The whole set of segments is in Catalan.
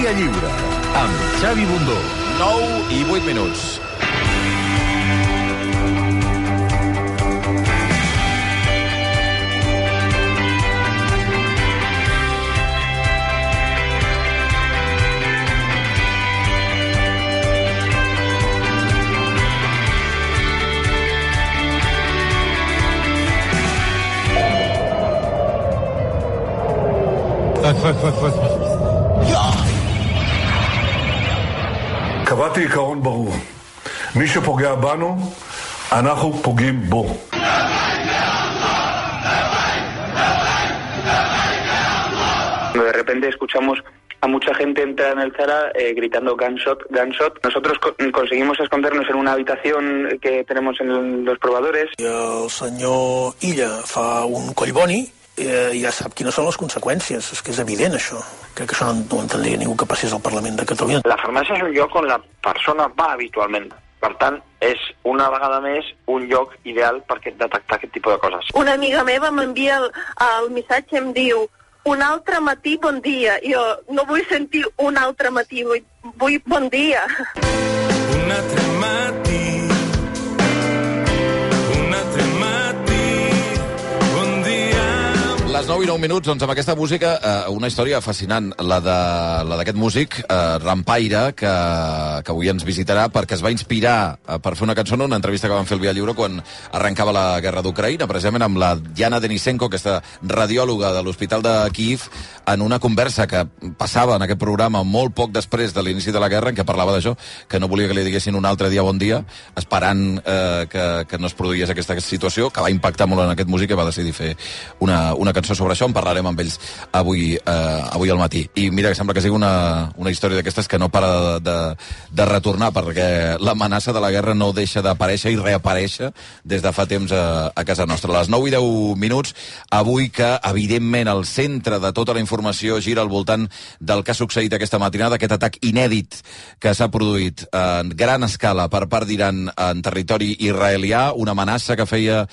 Via Lliure, amb Xavi Bundó. 9:08. קבעתי עיקרון ברור. מי שפוגע בנו, אנחנו פוגעים בו. De repente escuchamos a mucha gente entrar en el Zara gritando gunshot, gunshot. Nosotros conseguimos escondernos en una habitación que tenemos en los probadores. I el senyor Illa fa un collboni i ja sap quines són les conseqüències. És que és evident, això. Crec que això no ho entendria ningú que passés al Parlament de Catalunya. La farmàcia és un lloc on la persona va habitualment. Per tant, és una vegada més un lloc ideal per detectar aquest tipus de coses. Una amiga meva m'envia el missatge i em diu: un altre matí, bon dia. Jo no vull sentir un altre matí, vull bon dia. Un altre matí, un altre matí, bon dia. Les 9:09, doncs amb aquesta música, una història fascinant, la d'aquest músic, Rampaire, que avui ens visitarà perquè es va inspirar per fer una cançó en una entrevista que van fer al Via Lliure quan arrencava la guerra d'Ucraïna, precisament amb la Diana Denisenko, aquesta radiòloga de l'Hospital de Kíev, en una conversa que passava en aquest programa molt poc després de l'inici de la guerra, en què parlava d'això, que no volia que li diguessin un altre dia bon dia, esperant que no es produís aquesta situació, que va impactar molt en aquest músic i va decidir fer una cançó sobre això. En parlarem amb ells avui al matí. I mira, que sembla que sigui una història d'aquestes que no para de retornar, perquè l'amenaça de la guerra no deixa d'aparèixer i reaparèixer des de fa temps a casa nostra. A les 9:10, avui que, evidentment, el centre de tota la informació gira al voltant del que ha succeït aquesta matinada, aquest atac inèdit que s'ha produït en gran escala per part d'Iran en territori israelià, una amenaça que feia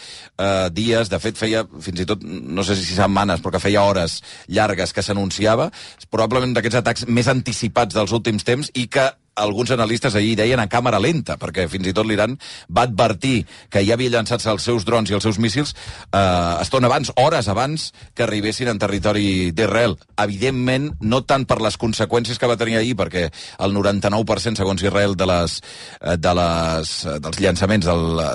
dies, de fet feia fins i tot, no sé si setmanes, però que feia hores llargues que s'anunciava, probablement d'aquests atacs més anticipats dels últims temps i que alguns analistes ahir deien a càmera lenta, perquè fins i tot l'Iran va advertir que ja havia llançat els seus drons i els seus míssils estona abans, hores abans que arribessin en territori d'Israel. Evidentment, no tant per les conseqüències que va tenir ahir, perquè el 99%, segons Israel, dels llançaments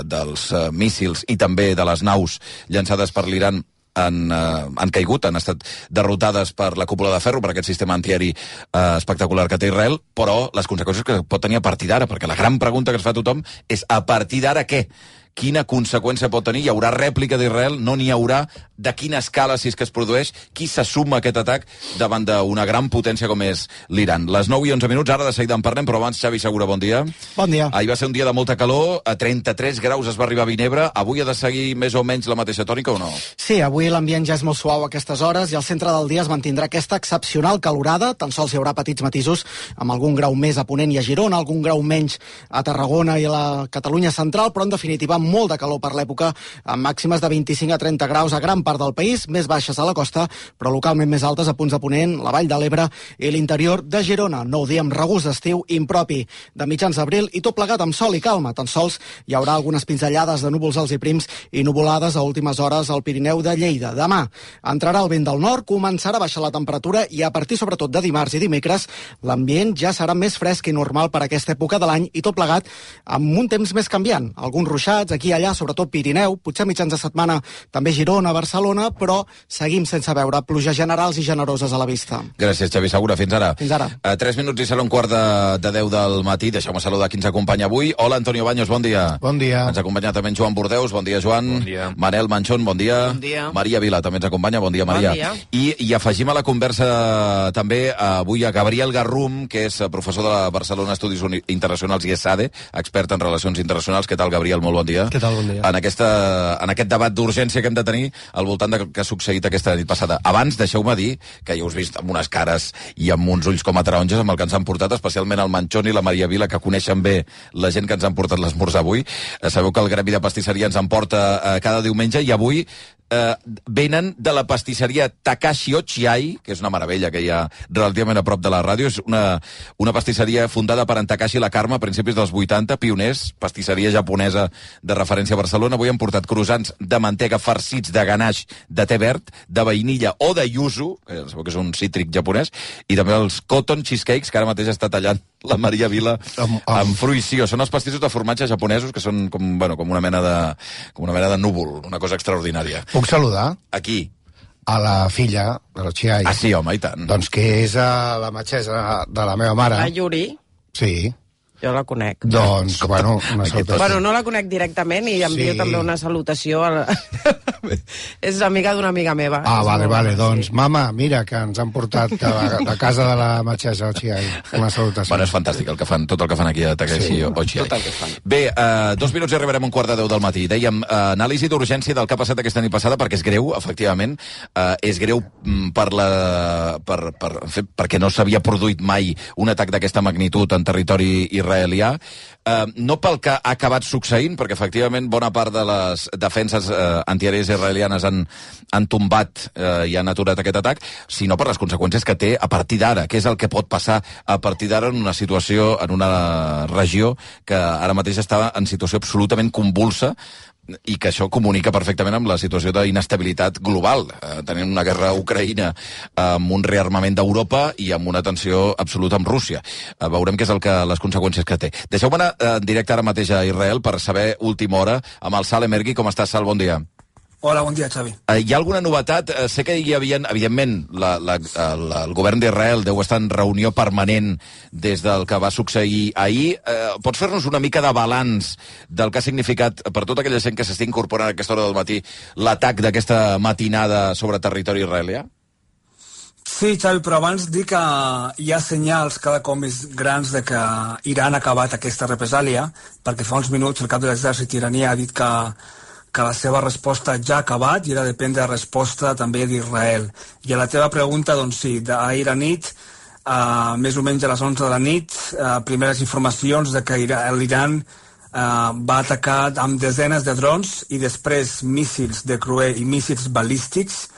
dels míssils i també de les naus llançades per l'Iran han caigut, han estat derrotades per la cúpula de ferro, per aquest sistema antiaeri espectacular que té Israel, però les conseqüències que pot tenir a partir d'ara, perquè la gran pregunta que es fa tothom és a partir d'ara què? Quina conseqüència pot tenir? Hi haurà rèplica d'Israel? No n'hi haurà? De quina escala, si és que es produeix? Qui s'assuma aquest atac davant d'una gran potència com és l'Iran? Les 9:11, ara de seguida en parlem, però abans, Xavi Segura, bon dia. Bon dia. Ahir va ser un dia de molta calor, a 33 graus es va arribar a Vinebre. Avui ha de seguir més o menys la mateixa tònica o no? Sí, avui l'ambient ja és molt suau a aquestes hores i al centre del dia es mantindrà aquesta excepcional calorada. Tan sols hi haurà petits matisos amb algun grau més a Ponent i a Girona, algun grau menys a Tarragona i a la Catalunya central, però en definitiva molt de calor per l'època, amb màximes de 25 a 30 graus a gran part del país, més baixes a la costa, però localment més altes a punts de Ponent, la Vall de l'Ebre i l'interior de Girona. Nou dia amb regust d'estiu impropi de mitjans d'abril i tot plegat amb sol i calma. Tan sols hi haurà algunes pinzellades de núvols alts i prims i nuvolades a últimes hores al Pirineu de Lleida. Demà entrarà el vent del nord, començarà a baixar la temperatura i a partir sobretot de dimarts i dimecres l'ambient ja serà més fresc i normal per aquesta època de l'any i tot plegat amb un temps més canviant. Alguns ruixats aquí i allà, sobretot Pirineu, potser mitjans de setmana també Girona, Barcelona, però seguim sense veure pluges generals i generoses a la vista. Gràcies, Xavi Segura. Fins ara. Fins ara. 3 minuts i serà un quart de 10 del matí. Deixeu-me saludar qui ens acompanya avui. Hola, Antonio Baños, bon dia. Bon dia. Ens acompanya també en Joan Bordeus. Bon dia, Joan. Bon dia. Manel Manchón, bon dia. Bon dia. Maria Vila també ens acompanya. Bon dia, Maria. Bon dia. I afegim a la conversa també avui a Gabriel Garrum, que és professor de la Barcelona Estudis Internacionals i ESADE, expert en relacions internacionals. Què tal, Gabriel? Molt bon dia. Què tal, bon dia. En aquest debat d'urgència que hem de tenir al voltant del que ha succeït aquesta nit passada. Abans, deixeu-me dir que ja us vist amb unes cares i amb uns ulls com a taronges amb el que ens han portat, especialment el Manchón i la Maria Vila, que coneixen bé la gent que ens han portat l'esmorzar avui. Sabeu que el Gremi de Pastisseria ens en porta cada diumenge i avui venen de la pastisseria Takashi Ochiai, que és una meravella que hi ha relativament a prop de la ràdio. És una pastisseria fundada per en Takashi Lakarma a principis dels 80, pioners, pastisseria japonesa de referència a Barcelona. Avui han portat croissants de mantega farcits de ganache de té verd, de vainilla o de yuzu, que sabeu que és un cítric japonès, i també els cotton cheesecakes, que ara mateix està tallant la Maria Vila amb fruïció. Són els pastissos de formatge japonesos, que són com una mena de núvol, una cosa extraordinària. Puc saludar? Aquí. A la filla de l'Ochiai. Ah, sí, home, i tant. Doncs que és la metgessa de la meva mare. La Yuri? Sí. Jo la conec. Doncs, bueno, una salutació. Bueno, no la conec directament i envio també una salutació a és amiga d'una amiga meva. Ah, vale. Doncs, mama, mira, que ens han portat de casa de la metgessa Ochiai. Una salutació. Bueno, és fantàstic el que fan, tot el que fan aquí a Takashi Ochiai. Tot el que fan. Bé, 2 minuts i arribarem a 1:15 del matí. Dèiem, anàlisi d'urgència del que ha passat aquesta nit passada, perquè és greu, efectivament. És greu perquè no s'havia produït mai un atac d'aquesta magnitud en territori israelià. No pel que ha acabat succeint, perquè efectivament bona part de les defenses antiaèries israelianes han tombat i han aturat aquest atac, sinó per les conseqüències que té a partir d'ara. Què és el que pot passar a partir d'ara en una situació, en una regió que ara mateix està en situació absolutament convulsa, i que això comunica perfectament amb la situació d'inestabilitat global, tenint una guerra a Ucraïna amb un rearmament d'Europa i amb una tensió absoluta amb Rússia. Veurem què és les conseqüències que té. Deixeu-me anar en directe ara mateix a Israel per saber última hora amb el Sal Emergui. Com estàs, Sal? Bon dia. Hola, bon dia, Xavi. Hi ha alguna novetat? Sé que hi havia, evidentment, el govern d'Israel deu estar en reunió permanent des del que va succeir ahir. Pots fer-nos una mica de balanç del que ha significat per tota aquella gent que s'està incorporant a aquesta hora del matí l'atac d'aquesta matinada sobre territori israelià? Sí, Xavi, però abans dic que hi ha senyals cada cop més grans de que Iran ha acabat aquesta represàlia, perquè fa uns minuts el cap de l'exèrcit iraní ha dit que la seva resposta ja ha acabat i ara depèn de la resposta també d'Israel. I a la teva pregunta, doncs sí, d'ahir a nit, més o menys a les 11 de la nit, primeres informacions de que l'Iran va atacar amb desenes de drons i després míssils de Cruer i míssils balístics,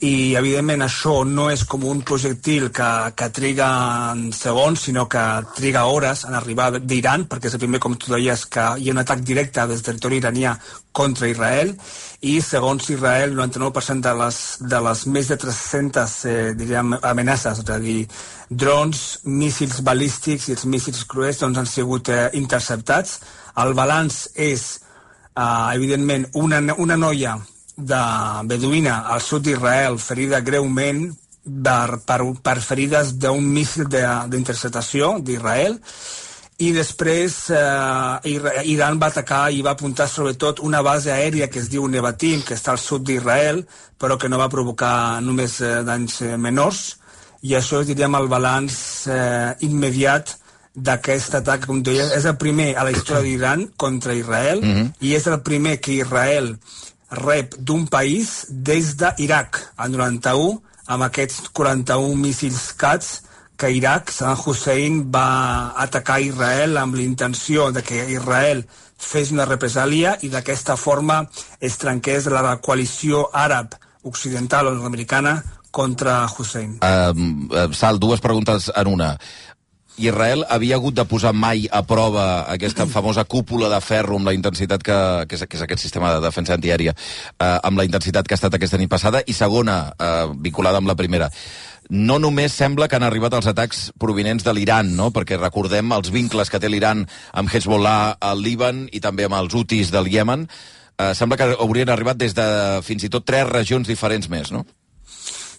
i evidentment això no és com un projectil que triga en segons, sinó que triga hores en arribar d'Iran, perquè és el primer, com tu deies, que hi ha un atac directe des del territori iranià contra Israel, i segons Israel, el 99% de les més de 300 diríem, amenaces, és a dir, drons, míssils balístics i els míssils cruers doncs, han sigut interceptats. El balanç és, evidentment, una noia de beduïna al sud d'Israel ferida greument per ferides d'un míssil d'interceptació d'Israel, i després Iran va atacar i va apuntar sobretot una base aèria que es diu Nevatim, que està al sud d'Israel, però que no va provocar només danys menors, i això és, diríem, el balanç immediat d'aquest atac. Com deia, és el primer a la història d'Iran contra Israel, i és el primer que Israel rep d'un país des d'Iraq, el 91, amb aquests 41 míssils CATS que Iraq, Saddam Hussein, va atacar Israel amb l'intenció de que Israel fes una represàlia i d'aquesta forma es trenqués la coalició àrab occidental o nord-americana contra Hussein. Sal, dues preguntes en una. Israel havia hagut de posar mai a prova aquesta famosa cúpula de ferro amb la intensitat que és aquest sistema de defensa antiaèria, amb la intensitat que ha estat aquesta nit passada? I segona, vinculada amb la primera, no només sembla que han arribat els atacs provinents de l'Iran, no? Perquè recordem els vincles que té l'Iran amb Hezbollah al Líban i també amb els Houthis del Iemen. Sembla que haurien arribat des de fins i tot 3 regions diferents més, no?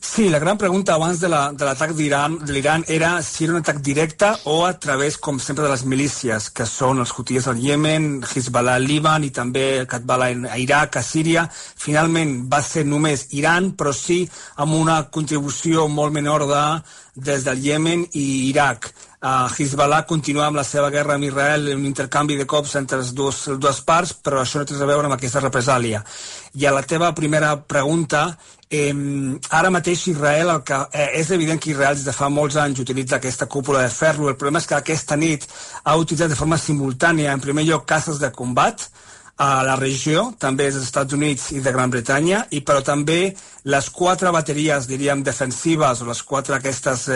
Sí, la gran pregunta abans de l'atac de l'Iran era si era un atac directe o a través, com sempre, de les milícies, que són els Houthis al Iemen, Hezbollah al Líban i també Katbala a Iraq, a Síria. Finalment va ser només Iran, però sí amb una contribució molt menor des del Iemen i Iraq. Hezbollah continua amb la seva guerra amb Israel, un intercanvi de cops entre les dues parts, però això no té res a veure amb aquesta represàlia. I a la teva primera pregunta, ara mateix Israel, és evident que Israel des de fa molts anys utilitza aquesta cúpula de ferro. El problema és que aquesta nit ha utilitzat de forma simultània, en primer lloc, caces de combat, a la regió, també dels Estats Units i de Gran Bretanya, però també les 4 bateries, diríem, defensives, o les 4 aquestes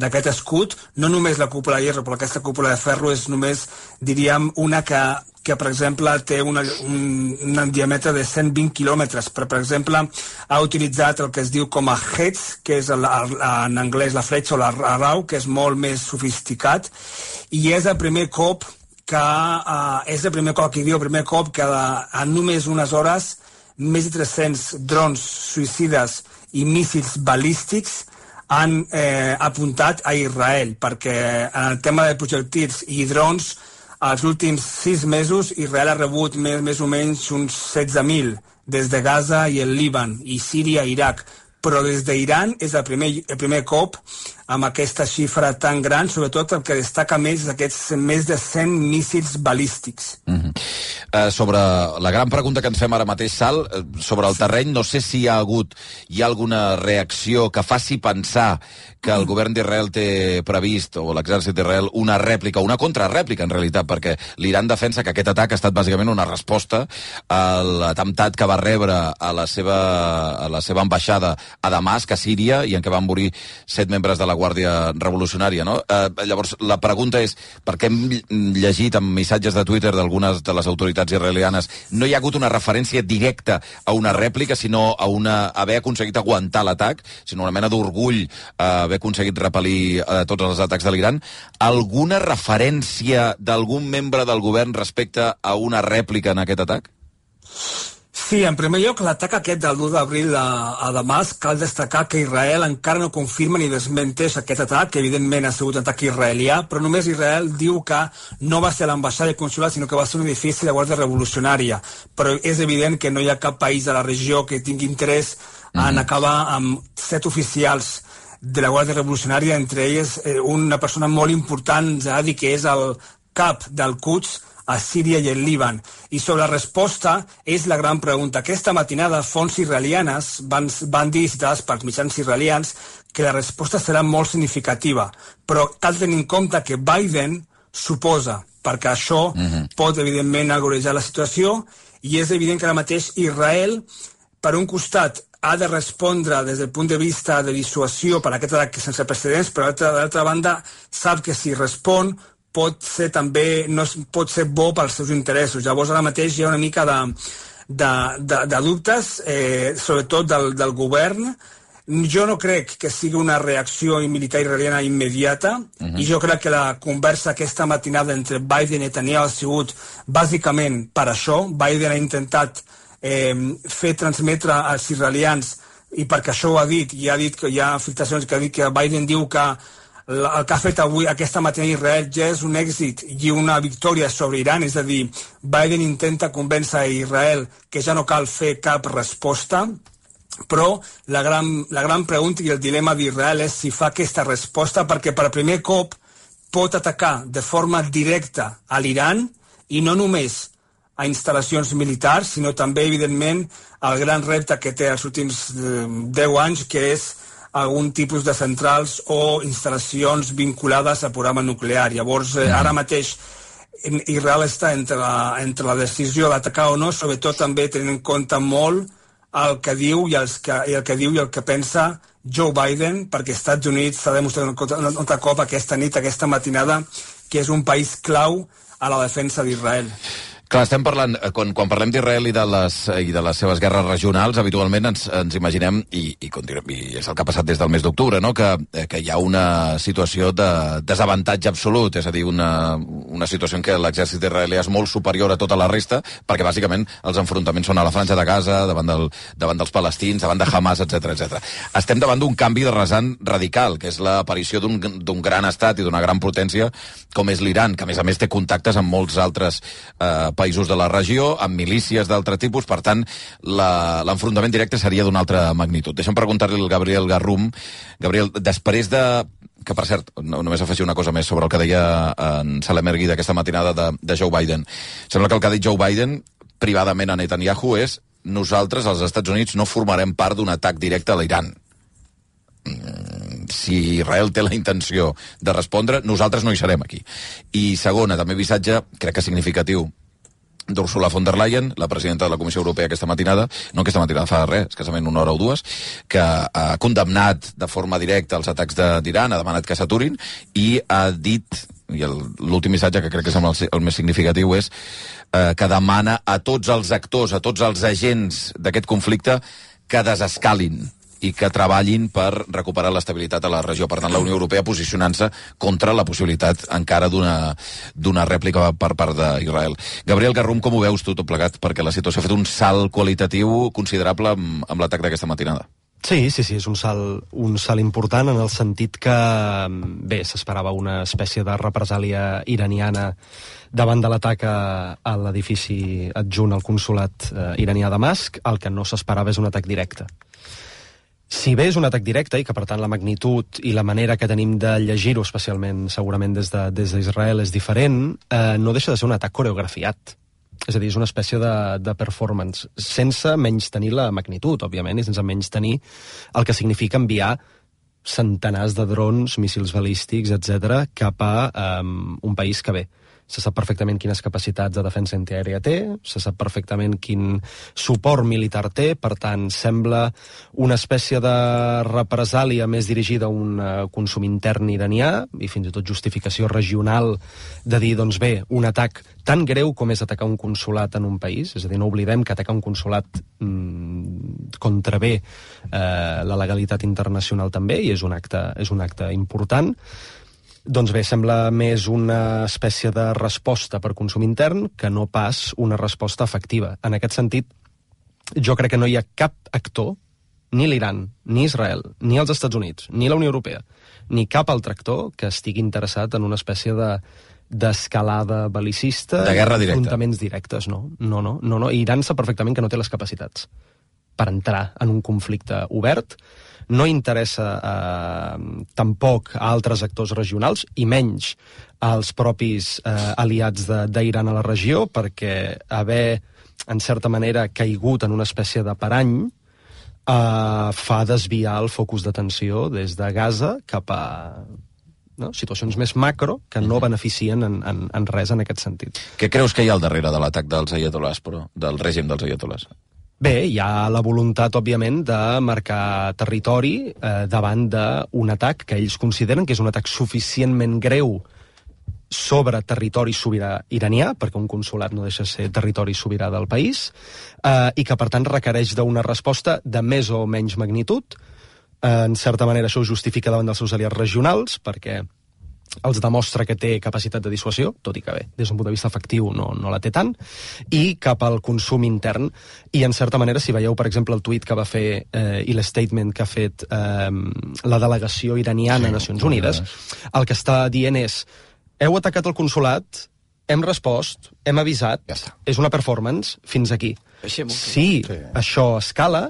d'aquest escut, no només la cúpula de hierro, però aquesta cúpula de ferro és només, diríem, una que per exemple, té un diàmetre de 120 quilòmetres. Per exemple, ha utilitzat el que es diu com a heads, que és en anglès la fletxa o l'arrau, que és molt més sofisticat, i és el primer cop que en només unes hores més de 300 drons suïcides i míssils balístics han apuntat a Israel, perquè en el tema de projectils i drons, els últims 6 mesos Israel ha rebut més o menys uns 16.000 des de Gaza i el Líban, i Síria i Iraq, però des d'Iran és el primer cop amb aquesta xifra tan gran, sobretot el que destaca més és aquests més de 100 míssils balístics. Sobre la gran pregunta que ens fem ara mateix, Sal, sobre el terreny, no sé si hi ha alguna reacció que faci pensar que el govern d'Israel té previst, o l'exèrcit d'Israel, una rèplica, una contrarèplica, en realitat, perquè l'Iran defensa que aquest atac ha estat bàsicament una resposta a l'atemptat que va rebre a la seva ambaixada a Damasc, a Síria, i en què van morir 7 membres de la Guàrdia Revolucionària, no? Llavors, la pregunta és, perquè hem llegit en missatges de Twitter d'algunes de les autoritats israelianes, no hi ha hagut una referència directa a una rèplica, sinó a haver aconseguit aguantar l'atac, sinó una mena d'orgull haver aconseguit repel·lir tots els atacs de l'Iran. Alguna referència d'algun membre del govern respecte a una rèplica en aquest atac? Sí, en primer lloc, l'atac aquest del 1 d'abril a Damasc, cal destacar que Israel encara no confirma ni desmenteix aquest atac, que evidentment ha sigut un atac israelià, però només Israel diu que no va ser l'ambaixada i consulat, sinó que va ser un edifici de Guàrdia Revolucionària. Però és evident que no hi ha cap país de la regió que tingui interès en acabar amb 7 oficials de la Guàrdia Revolucionària, entre ells una persona molt important, Zahadi, que és el cap del Quds a Síria i el Líban. I sobre la resposta és la gran pregunta. Aquesta matinada fonts israelianes van dir, citades pels mitjans israelians, que la resposta serà molt significativa, però cal tenir en compte que Biden suposa, perquè això pot evidentment agrejar la situació, i és evident que ara mateix Israel, per un costat, ha de respondre des del punt de vista de dissuasió per aquest atac sense precedents, però d'altra banda sap que si respon pot ser també, no pot ser bo pels seus interessos. Llavors ara mateix hi ha una mica de dubtes, sobretot del govern. Jo no crec que sigui una reacció militar israeliana immediata, i jo crec que la conversa aquesta matinada entre Biden i Netanyahu ha sigut bàsicament per això. Biden ha intentat fer transmetre als israelians, i perquè això ho ha dit, i ha dit que hi ha filtracions que ha dit que Biden diu que el que ha fet avui, aquesta matina Israel, ja és un èxit i una victòria sobre Iran, és a dir, Biden intenta convèncer a Israel que ja no cal fer cap resposta, però la gran pregunta i el dilema d'Israel és si fa aquesta resposta, perquè per primer cop pot atacar de forma directa a l'Iran, i no només a instal·lacions militars, sinó també, evidentment, el gran repte que té els últims 10 anys, que és algun tipus de centrals o instal·lacions vinculades al programa nuclear. Llavors, ara mateix, Israel està entre la decisió d'atacar o no, sobretot també tenint en compte molt el que diu i el que pensa Joe Biden, perquè als Estats Units s'ha demostrat un altre cop aquesta nit, aquesta matinada, que és un país clau a la defensa d'Israel. Clar, estem parlant, quan parlem d'Israel i de les seves guerres regionals, habitualment ens imaginem, i és el que ha passat des del mes d'octubre, no? que hi ha una situació de desavantatge absolut, és a dir, una situació en què l'exèrcit israelià és molt superior a tota la resta, perquè bàsicament els enfrontaments són a la Franja de Gaza, davant dels palestins, davant de Hamas, etc. Estem davant d'un canvi de rasant radical, que és l'aparició d'un gran estat i d'una gran potència com és l'Iran, que a més té contactes amb molts altres països de la regió, amb milícies d'altre tipus, per tant, l'enfrontament directe seria d'una altra magnitud. Deixa'm preguntar-li al Gabriel Garrum. Gabriel, després de... que, per cert, només afegir una cosa més sobre el que deia en Salem Ergui d'aquesta matinada de Joe Biden. Sembla que el que ha dit Joe Biden privadament a Netanyahu és: nosaltres, als Estats Units, no formarem part d'un atac directe a l'Iran. Si Israel té la intenció de respondre, nosaltres no hi serem aquí. I segona, també missatge, crec que significatiu, d'Ursula von der Leyen, la presidenta de la Comissió Europea aquesta matinada, no aquesta matinada, fa res, escassament una hora o dues, que ha condemnat de forma directa els atacs d'Iran, ha demanat que s'aturin, i ha dit, i l'últim missatge que crec que és el més significatiu és que demana a tots els actors, a tots els agents d'aquest conflicte que desescalin i que treballin per recuperar l'estabilitat a la regió. Per tant, la Unió Europea posicionant-se contra la possibilitat encara d'una rèplica per part d'Israel. Gabriel Garrum, com ho veus tu tot plegat? Perquè la situació ha fet un salt qualitatiu considerable amb l'atac d'aquesta matinada. Sí, és un salt important en el sentit que, bé, s'esperava una espècie de represàlia iraniana davant de l'atac a l'edifici adjunt al consolat iranià a Damasc. El que no s'esperava és un atac directe. Si bé és un atac directe i que, per tant, la magnitud i la manera que tenim de llegir-ho, especialment, segurament, des d'Israel és diferent, no deixa de ser un atac coreografiat. És a dir, és una espècie de performance, sense menys tenir la magnitud, òbviament, i sense menys tenir el que significa enviar centenars de drons, míssils balístics, etc., cap a un país que, bé, se sap perfectament quines capacitats de defensa antiaèria té, se sap perfectament quin suport militar té, per tant, sembla una espècie de represàlia més dirigida a un consum intern iranià, i fins i tot justificació regional de dir, doncs bé, un atac tan greu com és atacar un consolat en un país, és a dir, no oblidem que atacar un consolat contravé la legalitat internacional també, i és un acte important. Doncs bé, sembla més una espècie de resposta per consum intern que no pas una resposta efectiva. En aquest sentit, jo crec que no hi ha cap actor, ni l'Iran, ni Israel, ni els Estats Units, ni la Unió Europea, ni cap altre actor que estigui interessat en una espècie d'escalada belicista, de guerra directa, enfrontaments directes. No. Iran sap perfectament que no té les capacitats per entrar en un conflicte obert. No interessa tampoc a altres actors regionals, i menys als propis aliats d'Iran a la regió, perquè haver, en certa manera, caigut en una espècie de parany fa desviar el focus d'atenció des de Gaza cap a situacions més macro que no beneficien en res en aquest sentit. Què creus que hi ha al darrere de l'atac dels aiatolars, però, del règim dels aiatolars? Bé, hi ha la voluntat, òbviament, de marcar territori davant d'un atac que ells consideren que és un atac suficientment greu sobre territori sobirà iranià, perquè un consolat no deixa de ser territori sobirà del país, i que, per tant, requereix d'una resposta de més o menys magnitud. En certa manera, això ho justifica davant dels seus aliats regionals, perquè els demostra que té capacitat de dissuasió, tot i que bé, des d'un punt de vista efectiu no la té tant, i cap al consum intern. I en certa manera, si veieu, per exemple, el tuit que va fer i l'statement que ha fet la delegació iraniana a Nacions Unides, el que està dient és: heu atacat el consolat, hem respost, hem avisat, és una performance, fins aquí. Si això escala,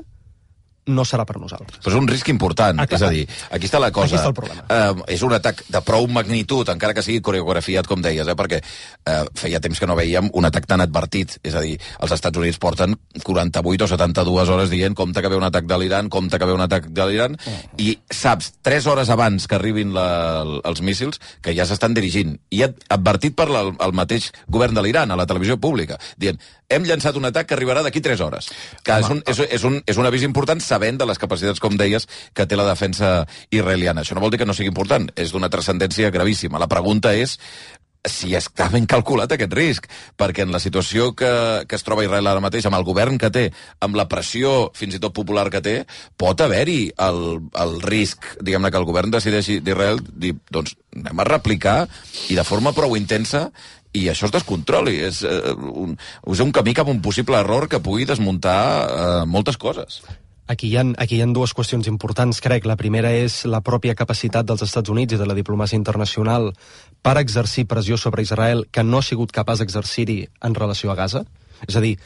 no serà per nosaltres. Però és un risc important, és a dir, aquí està la cosa. Aquí està el problema. És un atac de prou magnitud, encara que sigui coreografiat, com deies, perquè feia temps que no veiem un atac tan advertit. És a dir, els Estats Units porten 48 o 72 hores dient compte que ve un atac de l'Iran, compte que ve un atac de l'Iran, i saps, 3 hores abans que arribin els míssils, que ja s'estan dirigint. I advertit per el mateix govern de l'Iran, a la televisió pública, dient: hem llançat un atac que arribarà d'aquí 3 hores. Que és un avís important, sabent de les capacitats, com deies, que té la defensa israeliana. Això no vol dir que no sigui important, és d'una transcendència gravíssima. La pregunta és si està ben calculat aquest risc, perquè en la situació que es troba Israel ara mateix, amb el govern que té, amb la pressió fins i tot popular que té, pot haver-hi el risc, diguem-ne, que el govern decideixi d'Israel dir, doncs anem a replicar, i de forma prou intensa, i això es descontroli. És un camí cap a un possible error que pugui desmuntar moltes coses. Aquí hi ha dues qüestions importants, crec. La primera és la pròpia capacitat dels Estats Units i de la diplomàcia internacional per exercir pressió sobre Israel que no ha sigut capaç d'exercir-hi en relació a Gaza. És a dir,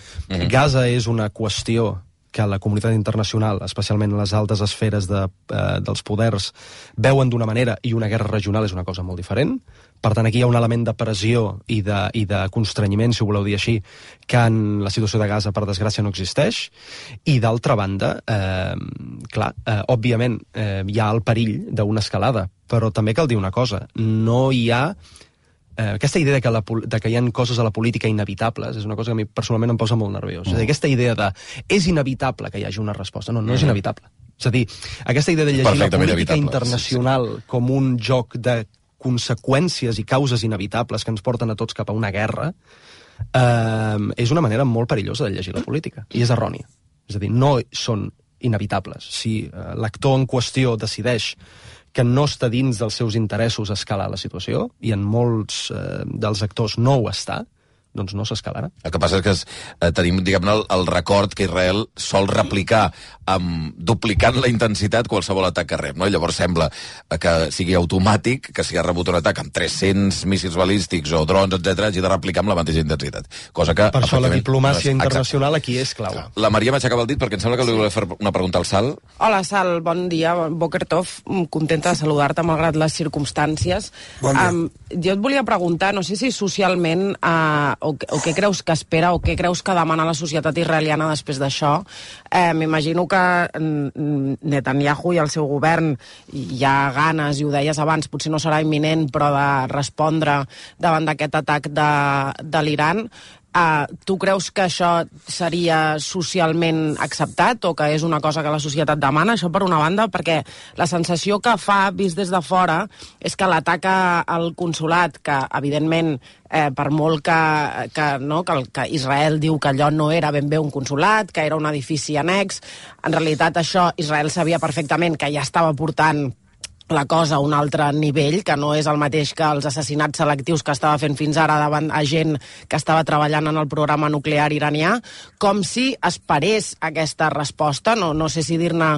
Gaza és una qüestió que la comunitat internacional, especialment les altes esferes dels poders, veuen d'una manera, i una guerra regional és una cosa molt diferent. Per tant, aquí hi ha un element de pressió i de constrenyiment, si ho voleu dir així, que en la situació de Gaza, per desgràcia, no existeix. I, d'altra banda, òbviament, hi ha el perill d'una escalada, però també cal dir una cosa: no hi ha aquesta idea de que hi ha coses a la política inevitables és una cosa que a mi personalment em posa molt nerviós. És a dir, aquesta idea de és inevitable que hi hagi una resposta. No és inevitable. És a dir, aquesta idea de llegir la política internacional com un joc de conseqüències i causes inevitables que ens porten a tots cap a una guerra és una manera molt perillosa de llegir la política. I és errònia. És a dir, no són inevitables. Si l'actor en qüestió decideix que no està dins dels seus interessos escalar la situació, i en molts dels actors no ho està, doncs no s'escalarà. El que passa és que tenim, diguem-ne, el record que Israel sol replicar duplicant la intensitat qualsevol atac que rep, no? I llavors sembla que sigui automàtic, que si ha rebut un atac amb 300 míssils balístics o drons, etc., hagi de replicar amb la mateixa intensitat. Cosa que, per això la diplomàcia internacional aquí és clau. La Maria m'aixecava el dit perquè em sembla que li volia fer una pregunta al Sal. Hola, Sal, bon dia, Boker Tov, contenta de saludar-te malgrat les circumstàncies. Bon dia. Jo et volia preguntar, no sé si socialment o què creus que espera o què creus que demana la societat israeliana després d'això. M'imagino que Netanyahu i el seu govern hi ha ganes, i ho deies abans, potser no serà imminent, però de respondre davant d'aquest atac de l'Iran. Tu creus que això seria socialment acceptat o que és una cosa que la societat demana? Això per una banda, perquè la sensació que fa, vist des de fora, és que l'atac al consolat, que evidentment per molt que Israel diu que allò no era ben bé un consolat, que era un edifici annex, en realitat això Israel sabia perfectament que ja estava portant la cosa a un altre nivell, que no és el mateix que els assassinats selectius que estava fent fins ara davant a gent que estava treballant en el programa nuclear iranià, com si esperés aquesta resposta, no sé si dir-ne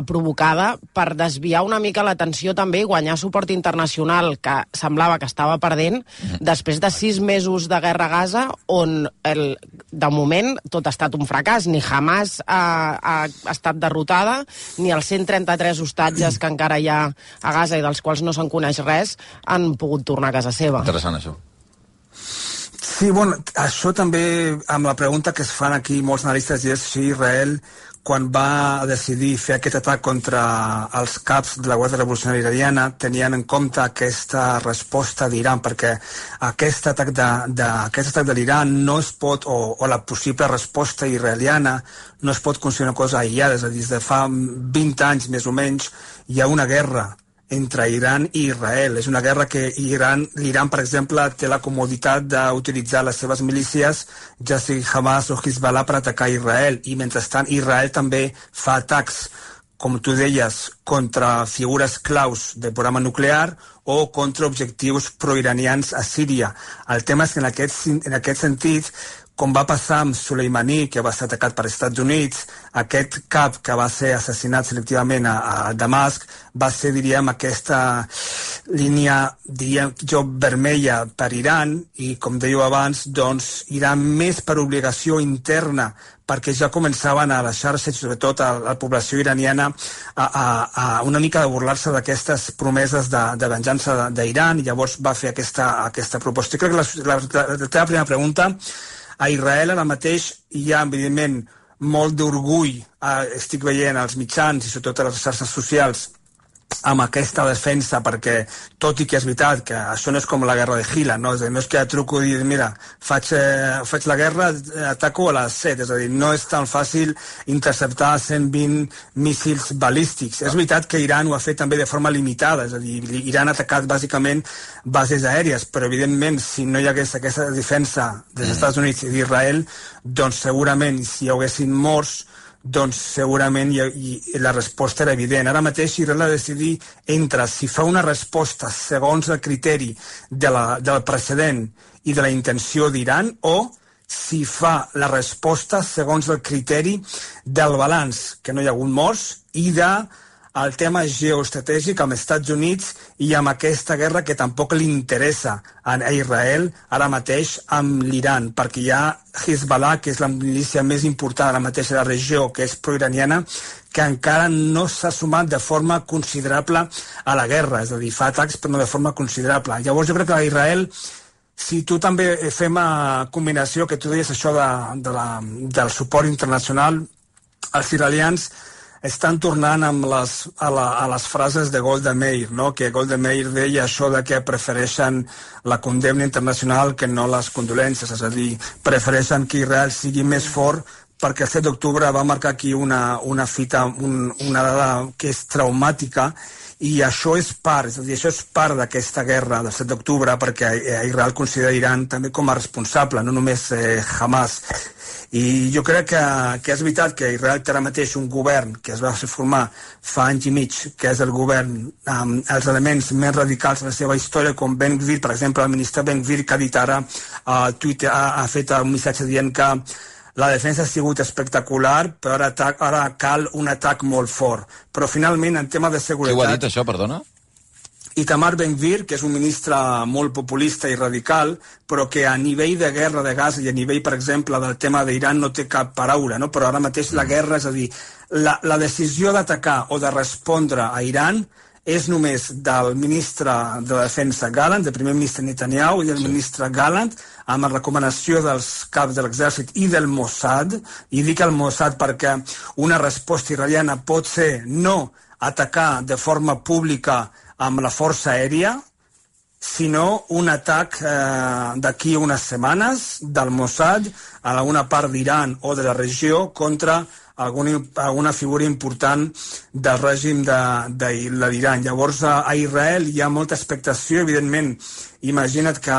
provocada, per desviar una mica l'atenció també i guanyar suport internacional, que semblava que estava perdent, després de 6 mesos de guerra a Gaza, on de moment tot ha estat un fracàs. Ni Hamas ha estat derrotada, ni els 133 hostatges que encara hi ha a Gaza i dels quals no se'n coneix res, han pogut tornar a casa seva. Interessant, això. Sí, bueno, això també, amb la pregunta que es fan aquí molts analistes, és si Israel, quan va decidir fer aquest atac contra els caps de la Guàrdia Revolucionària Iraniana, tenien en compte aquesta resposta d'Iran, perquè aquest atac de l'Iran no es pot, o la possible resposta israeliana, no es pot considerar una cosa aïllada. És a dir, des de fa 20 anys, més o menys, hi ha una guerra entre Iran i Israel. És una guerra que l'Iran, per exemple, té la comoditat d'utilitzar les seves milícies, ja sigui Hamas o Hezbollah, per atacar Israel. I mentrestant Israel també fa atacs, com tu deies, contra figures claus del programa nuclear o contra objectius proiranians a Síria. El tema és que en aquest sentit, com va passar amb Soleimani, que va ser atacat per Estats Units, aquest cap que va ser assassinat selectivament a Damasc, va ser, diríem, aquesta línia, diríem jo, vermella per Iran, i com dèieu abans, doncs, Iran més per obligació interna, perquè ja començaven a les xarxes, sobretot a la població iraniana, a una mica de burlar-se d'aquestes promeses de venjança d'Iran, i llavors va fer aquesta proposta. I crec que la teva primera pregunta, a Israel ara mateix hi ha, evidentment, molt d'orgull, estic veient als mitjans i sobretot a les xarxes socials, amb aquesta defensa, perquè tot i que és veritat que això no és com la guerra de Gila, no és que truco i dic, mira, faig la guerra, ataco a les 7, és a dir, no és tan fàcil interceptar 120 míssils balístics. És veritat que Iran ho ha fet també de forma limitada, és a dir, Iran ha atacat bàsicament bases aèries, però evidentment si no hi hagués aquesta defensa dels Estats Units i d'Israel, doncs segurament si hi haguessin morts, doncs segurament la resposta era evident. Ara mateix Israel ha de decidir entre si fa una resposta segons el criteri del precedent i de la intenció d'Iran, o si fa la resposta segons el criteri del balanç, que no hi ha hagut morts, i el tema geoestratègic amb els Estats Units i amb aquesta guerra que tampoc li interessa a Israel ara mateix amb l'Iran, perquè hi ha Hezbollah, que és la milícia més important ara mateix a la regió, que és proiraniana, que encara no s'ha sumat de forma considerable a la guerra, és a dir, fa atacs però no de forma considerable. Llavors jo crec que a Israel, si tu també fem a combinació, que tu deies això del suport internacional, els israelians estan tornant a les frases de Golda Meir, no? Que Golda Meir deia això de que prefereixen la condemna internacional que no les condolències, és a dir, prefereixen que Israel sigui més fort perquè el 7 d'octubre va marcar aquí una fita, una dada que és traumàtica, i això és part, és a dir, això és part d'aquesta guerra del 7 d'octubre, perquè Israel considera Iran també com a responsable, no només Hamas. I jo crec que és veritat que Israel té ara mateix un govern que es va formar fa anys i mig, que és el govern amb els elements més radicals de la seva història, com Ben Gvir, per exemple, el ministre Ben Gvir, que ha dit ara a Twitter, ha fet un missatge dient que la defensa ha sigut espectacular, però ara cal un atac molt fort. Però finalment, en tema de seguretat... Qui ho ha dit, això, perdona? Itamar Ben Gvir, que és un ministre molt populista i radical, però que a nivell de guerra de Gaza i a nivell, per exemple, del tema d'Iran no té cap paraula, no? Però ara mateix la guerra, és a dir, la decisió d'atacar o de respondre a Iran és només del ministre de Defensa Gallant, del primer ministre Netanyahu i del ministre Gallant, amb la recomanació dels caps de l'exèrcit i del Mossad, i dic el Mossad perquè una resposta israeliana pot ser no atacar de forma pública amb la força aèria, sinó un atac d'aquí unes setmanes del Mossad a alguna part d'Iran o de la regió contra alguna figura important del règim de l'Iran. Llavors, a Israel hi ha molta expectació, evidentment. Imagina't que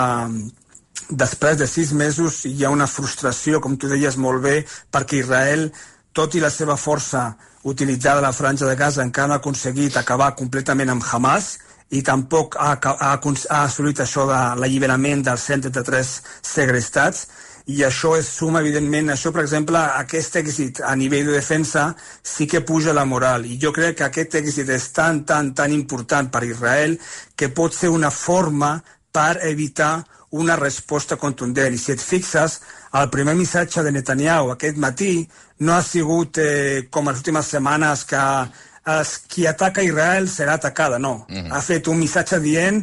després de 6 mesos hi ha una frustració, com tu deies molt bé, perquè Israel, tot i la seva força utilitzada a la franja de Gaza, encara no ha aconseguit acabar completament amb Hamas, i tampoc ha assolit això de l'alliberament dels 133 segrestats, i això és suma, evidentment, això, per exemple, aquest èxit a nivell de defensa sí que puja la moral, i jo crec que aquest èxit és tan important per Israel que pot ser una forma per evitar una resposta contundent. I si et fixes, el primer missatge de Netanyahu aquest matí no ha sigut com les últimes setmanes que qui ataca Israel serà atacada, no. Ha fet un missatge dient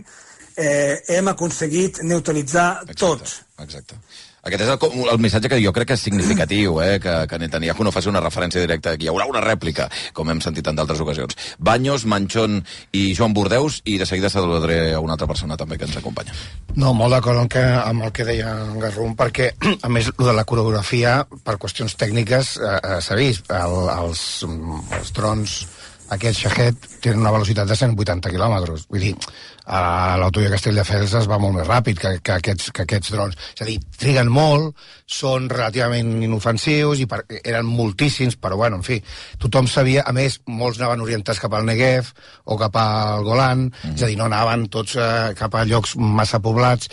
hem aconseguit neutralitzar tots. Exacte. Aquest és el missatge que jo crec que és significatiu, que Netanyahu no faci una referència directa, que hi haurà una rèplica, com hem sentit en d'altres ocasions. Baños, Manchón i Joan Bordeus, i de seguida saludaré a una altra persona també que ens acompanya. No, molt d'acord amb el que deia en Garrum, perquè, a més, el de la coreografia, per qüestions tècniques, s'ha vist. Els drons, aquests Shahed, tenen una velocitat de 180 quilòmetres. Vull dir, l'autovia Castelldefels es va molt més ràpid que aquests drons. És a dir, triguen molt, són relativament inofensius, i eren moltíssims, però bueno, en fi, tothom sabia, a més, molts anaven orientats cap al Negev o cap al Golan, és a dir, no anaven tots cap a llocs massa poblats.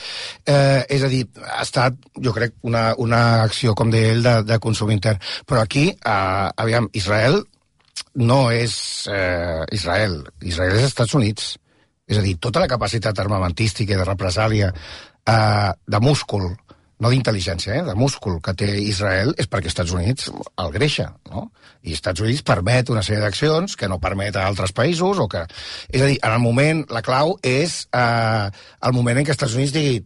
És a dir, ha estat, jo crec, una acció, com deia ell, de consum intern. Però aquí, aviam, Israel no és Israel és Estats Units. És a dir, tota la capacitat armamentística i de represàlia de múscul, no d'intel·ligència, de múscul que té Israel és perquè Estats Units el greixa, no? I Estats Units permet una sèrie d'accions que no permet a altres països, o que... És a dir, en el moment, la clau és el moment en què Estats Units digui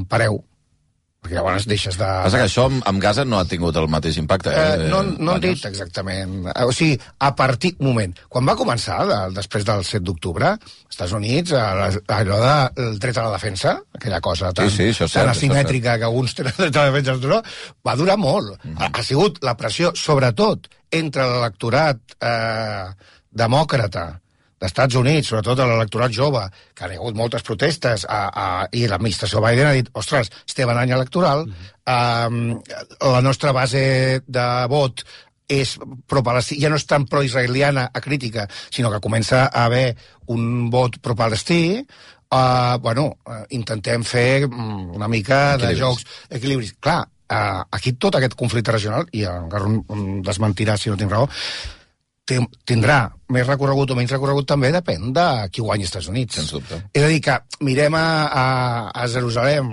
pareu, perquè llavors deixes de... Passa que això amb Gaza no ha tingut el mateix impacte, No han dit exactament. O sigui, a partir... Un moment. Quan va començar, després del 7 d'octubre, als Estats Units, allò del dret a la defensa, aquella cosa tan asimètrica que alguns tenen dret a la defensa, va durar molt. Ha sigut la pressió, sobretot, entre l'electorat demòcrata d'Estats Units, sobretot a l'electorat jove, que ha hagut moltes protestes, i l'administració Biden ha dit, ostres, estem en any electoral, la nostra base de vot és pro-palestí, ja no és tan pro-israeliana a crítica, sinó que comença a haver un vot pro-palestí. Intentem fer una mica de jocs, equilibris. Clar, aquí tot aquest conflicte regional, i en Garrum desmentirà si no tinc raó, tindrà més recorregut o menys recorregut, també depèn de qui guanyi als Estats Units. Sens dubte. És a dir, que mirem a Jerusalem,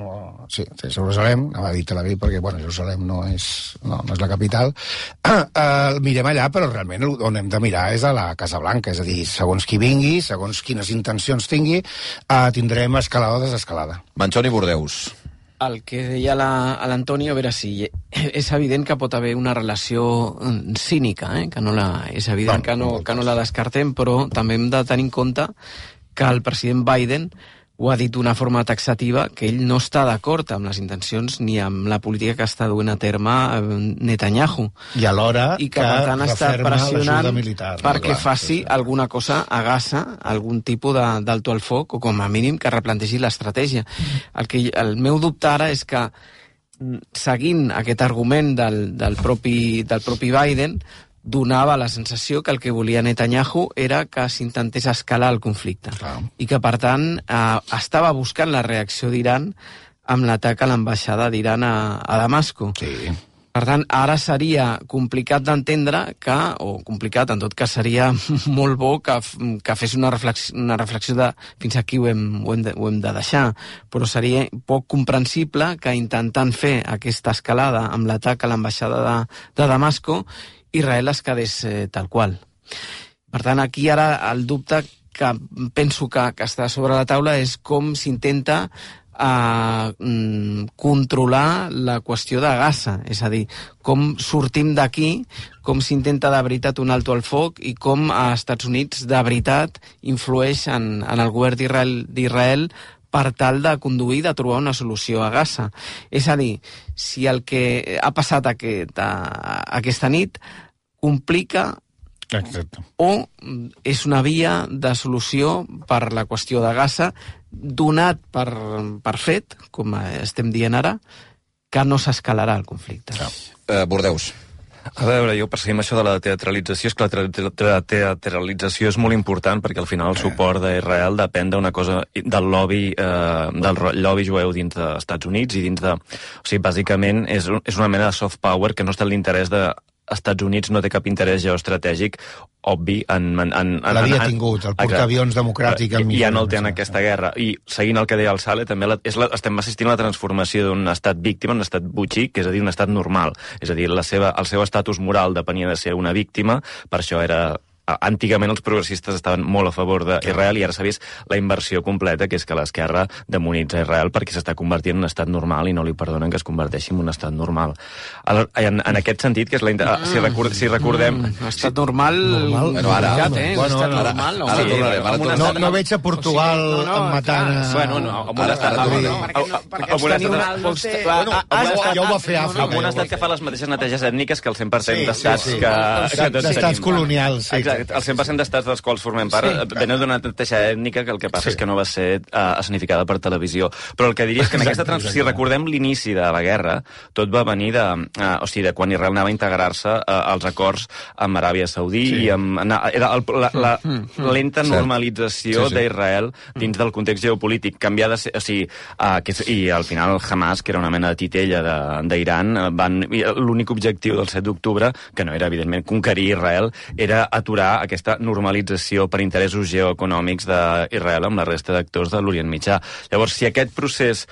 Jerusalem, anava a dir Tel Aviv, perquè, Jerusalem no és la capital, mirem allà, però realment on hem de mirar és a la Casa Blanca, és a dir, segons qui vingui, segons quines intencions tingui, tindrem escalada o desescalada. Manchón i Bordeus. el que deia l'Antoni, a veure si és evident que pot haver una relació cínica, que no és evident que no la descartem, però també hem de tenir en compte que el president Biden ho ha dit d'una forma taxativa, que ell no està d'acord amb les intencions ni amb la política que està duent a terme Netanyahu. I alhora que per tant està pressionant perquè faci clar. Alguna cosa a Gaza, algun tipus d'alto al foc, o com a mínim que replantegi l'estratègia. El meu dubte ara és que, seguint aquest argument del propi Biden, donava la sensació que el que volia Netanyahu era que s'intentés escalar el conflicte. I que, per tant, estava buscant la reacció d'Iran amb l'atac a l'ambaixada d'Iran a Damasco. Sí. Per tant, ara seria complicat d'entendre o complicat, en tot cas seria molt bo que fes una reflexió de fins aquí ho hem de deixar, però seria poc comprensible que intentant fer aquesta escalada amb l'atac a l'ambaixada de Damasco, Israel es quedés tal qual. Per tant, aquí ara el dubte que penso que està sobre la taula és com s'intenta controlar la qüestió de Gaza, és a dir, com sortim d'aquí, com s'intenta de veritat un alto al foc i com als Estats Units de veritat influeix en el govern d'Israel per tal de conduir, de trobar una solució a Gaza. És a dir, si el que ha passat aquesta nit complica o és una via de solució per la qüestió de Gaza, donat per fet, com estem dient ara, que no s'escalarà el conflicte. Bordeus. A veure, jo perseguim això de la teatralització. És que la teatralització és molt important perquè al final el suport d'Israel depèn d'una cosa del lobby jueu dins dels Estats Units i dins de... O sigui, bàsicament és una mena de soft power que no està en l'interès de Estats Units, no té cap interès geoestratègic obvi l'havia tingut, el portaavions democràtic ja no el té en aquesta guerra, i seguint el que deia el Sale, també estem assistint a la transformació d'un estat víctima en un estat butxic, és a dir, un estat normal, és a dir, el seu estatus moral depenia de ser una víctima, per això era... Antigament els progressistes estaven molt a favor d'Israel i ara s'ha vist la inversió completa, que és que l'esquerra demonitza Israel perquè s'està convertint en un estat normal i no li perdonen que es converteixi en un estat normal. En aquest sentit, que és si recordem... Estat normal... Bueno, ara... No veig a Portugal matant... Bueno, amb un estat... Ja ho va fer Àfrica. Amb un estat que fa les mateixes neteges ètniques que el 100% d'estats que... D'estats colonials, sí. El 100% d'estats dels quals formem part venen d'una neteja ètnica que el que passa és que no va ser escenificada per televisió. Però el que diria és que en aquesta si recordem l'inici de la guerra, tot va venir de quan Israel anava a integrar-se als acords amb Aràbia Saudí i era la lenta normalització d'Israel dins del context geopolític. Canviar de ser... I al final Hamas, que era una mena de titella d'Iran, l'únic objectiu del 7 d'octubre, que no era evidentment conquerir Israel, era aturar aquesta normalització per interessos geoeconòmics d'Israel amb la resta d'actors de l'Orient Mitjà. Llavors, si aquest procés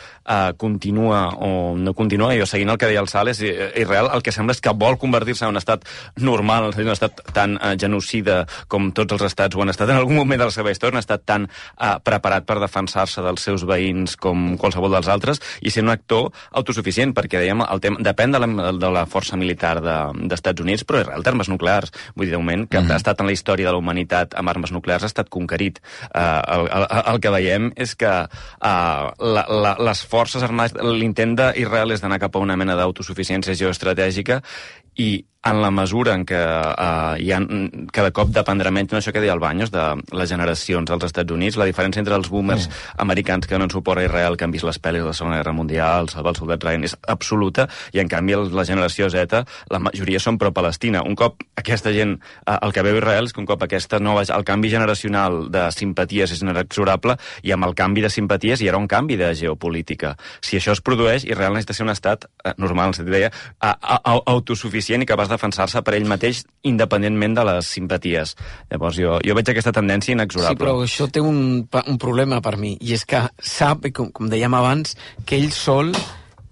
continua o no continua, jo seguint el que deia el Sales, Israel el que sembla és que vol convertir-se en un estat normal, un estat tan genocida com tots els estats ho han estat en algun moment de la seva història, un estat tan preparat per defensar-se dels seus veïns com qualsevol dels altres i ser un actor autosuficient, perquè dèiem, el tema depèn de la força militar d'Estats Units, però Israel té armes nuclears. Vull dir, de moment, que ha estat en la història de la humanitat amb armes nuclears ha estat conquerit. El que veiem és que les forces armades, l'intent d'Israel és d'anar cap a una mena d'autosuficiència geoestratègica i en la mesura en què cada cop dependrà menys, això que deia el Baños, de les generacions als Estats Units, la diferència entre els boomers americans que donen suport a Israel, que han vist les pel·lis de la Segona Guerra Mundial, Salvar el soldat Ryan, és absoluta, i en canvi la generació Z, la majoria són pro-Palestina. Un cop aquesta gent, el que veu Israel és que un cop el canvi generacional de simpaties és inexorable, i amb el canvi de simpaties hi haurà un canvi de geopolítica. Si això es produeix, Israel necessita ser un estat normal, en deia, autosuficient i capaç de defensar-se per ell mateix independentment de les simpaties. Llavors jo veig aquesta tendència inexorable. Sí, però això té un problema per mi, i és que sap, com dèiem abans, que ell sol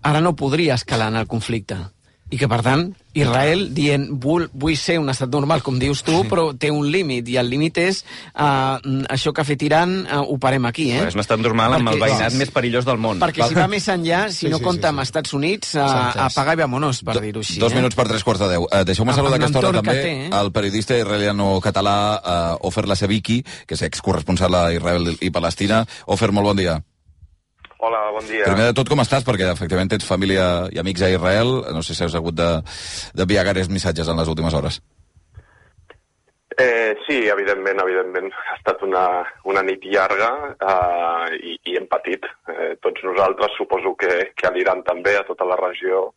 ara no podria escalar en el conflicte. I que, per tant, Israel dient vull ser un estat normal, com dius tu, però té un límit, i el límit és això que ha fet Iran, ho parem aquí, És un estat normal amb el veïnat més perillós del món. Perquè si va més enllà, si no compta amb Estats Units, apaga i vámonos, per dir-ho així. 2 minuts per 3:45. Deixeu-me saludar aquesta hora també el periodista israeliano-català Ofer Laseviki, que és excorresponsal a Israel i Palestina. Ofer, molt bon dia. Hola, bon dia. Primer de tot, com estàs? Perquè, efectivament, tens família i amics a Israel. No sé si has hagut d'enviar gaires missatges en les últimes hores. Sí, evidentment. Ha estat una nit llarga i hem patit. Tots nosaltres, suposo que a l'Iran també, a tota la regió,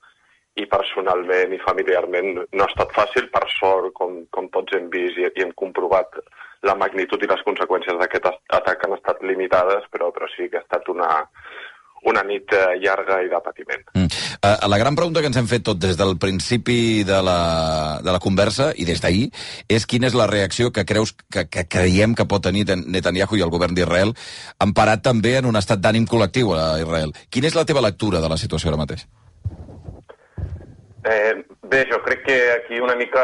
i personalment i familiarment no ha estat fàcil. Per sort, com tots hem vist i hem comprovat, la magnitud i les conseqüències d'aquest atac han estat limitades, però sí que ha estat una nit llarga i de patiment. La gran pregunta que ens hem fet tot des del principi de la conversa i des d'ahir és quina és la reacció que creiem que pot tenir Netanyahu i el govern d'Israel, emparat també en un estat d'ànim col·lectiu a Israel. Quina és la teva lectura de la situació ara mateix? Bé, jo crec que aquí una mica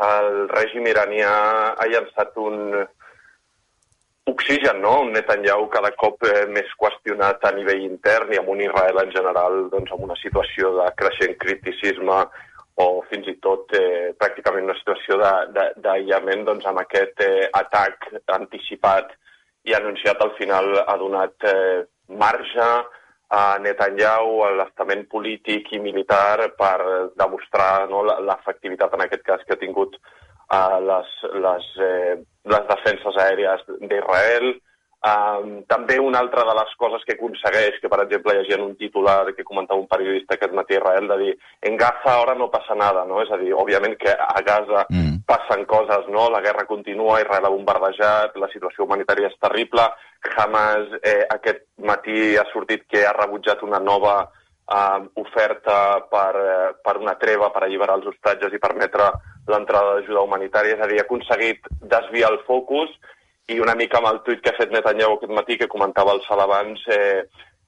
el règim iranià ha llançat un oxigen, no? Un Netanyahu cada cop més qüestionat a nivell intern i amb un Israel en general doncs, amb una situació de creixent criticisme o fins i tot pràcticament una situació d'aïllament doncs, amb aquest atac anticipat i anunciat al final ha donat marge a Netanyahu, a l'estament polític i militar per demostrar l'efectivitat en aquest cas que ha tingut les defenses aèries d'Israel. També una altra de les coses que aconsegueix, que per exemple llegint un titular que comentava un periodista aquest matí a Israel, de dir en Gaza ara no passa nada, no? És a dir, òbviament que a Gaza passen coses, no? La guerra continua, Israel ha bombardejat, la situació humanitària és terrible, Hamas aquest matí ha sortit que ha rebutjat una nova oferta per una treva per alliberar els hostatges i permetre l'entrada d'ajuda humanitària, és a dir, ha aconseguit desviar el focus i una mica amb el tuit que ha fet Netanyahu aquest matí, que comentava el Sal abans,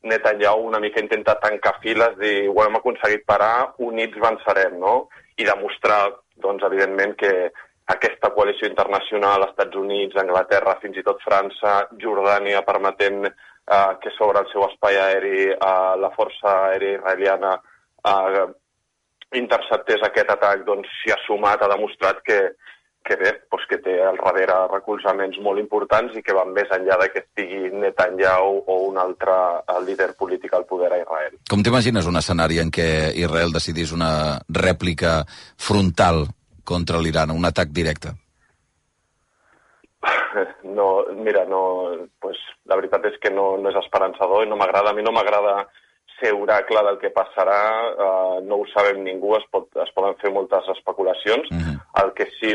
Netanyahu una mica intenta tancar files, dir, ho hem aconseguit parar, units vencerem, no? I demostrar, doncs, evidentment, que aquesta coalició internacional, Estats Units, Anglaterra, fins i tot França, Jordània, permetent que sobre el seu espai aeri la força aèria israeliana interceptés aquest atac, doncs s'hi ha sumat, ha demostrat que bé, doncs que té al darrere recolzaments molt importants i que van més enllà de que estigui Netanyahu o un altre líder polític al poder a Israel. Com t'imagines un escenari en què Israel decidís una rèplica frontal contra l'Iran, un atac directe? No, mira, pues, la veritat és que no és esperançador i a mi no m'agrada ser oracle del que passarà, no ho sabem ningú, es poden fer moltes especulacions. El que sí,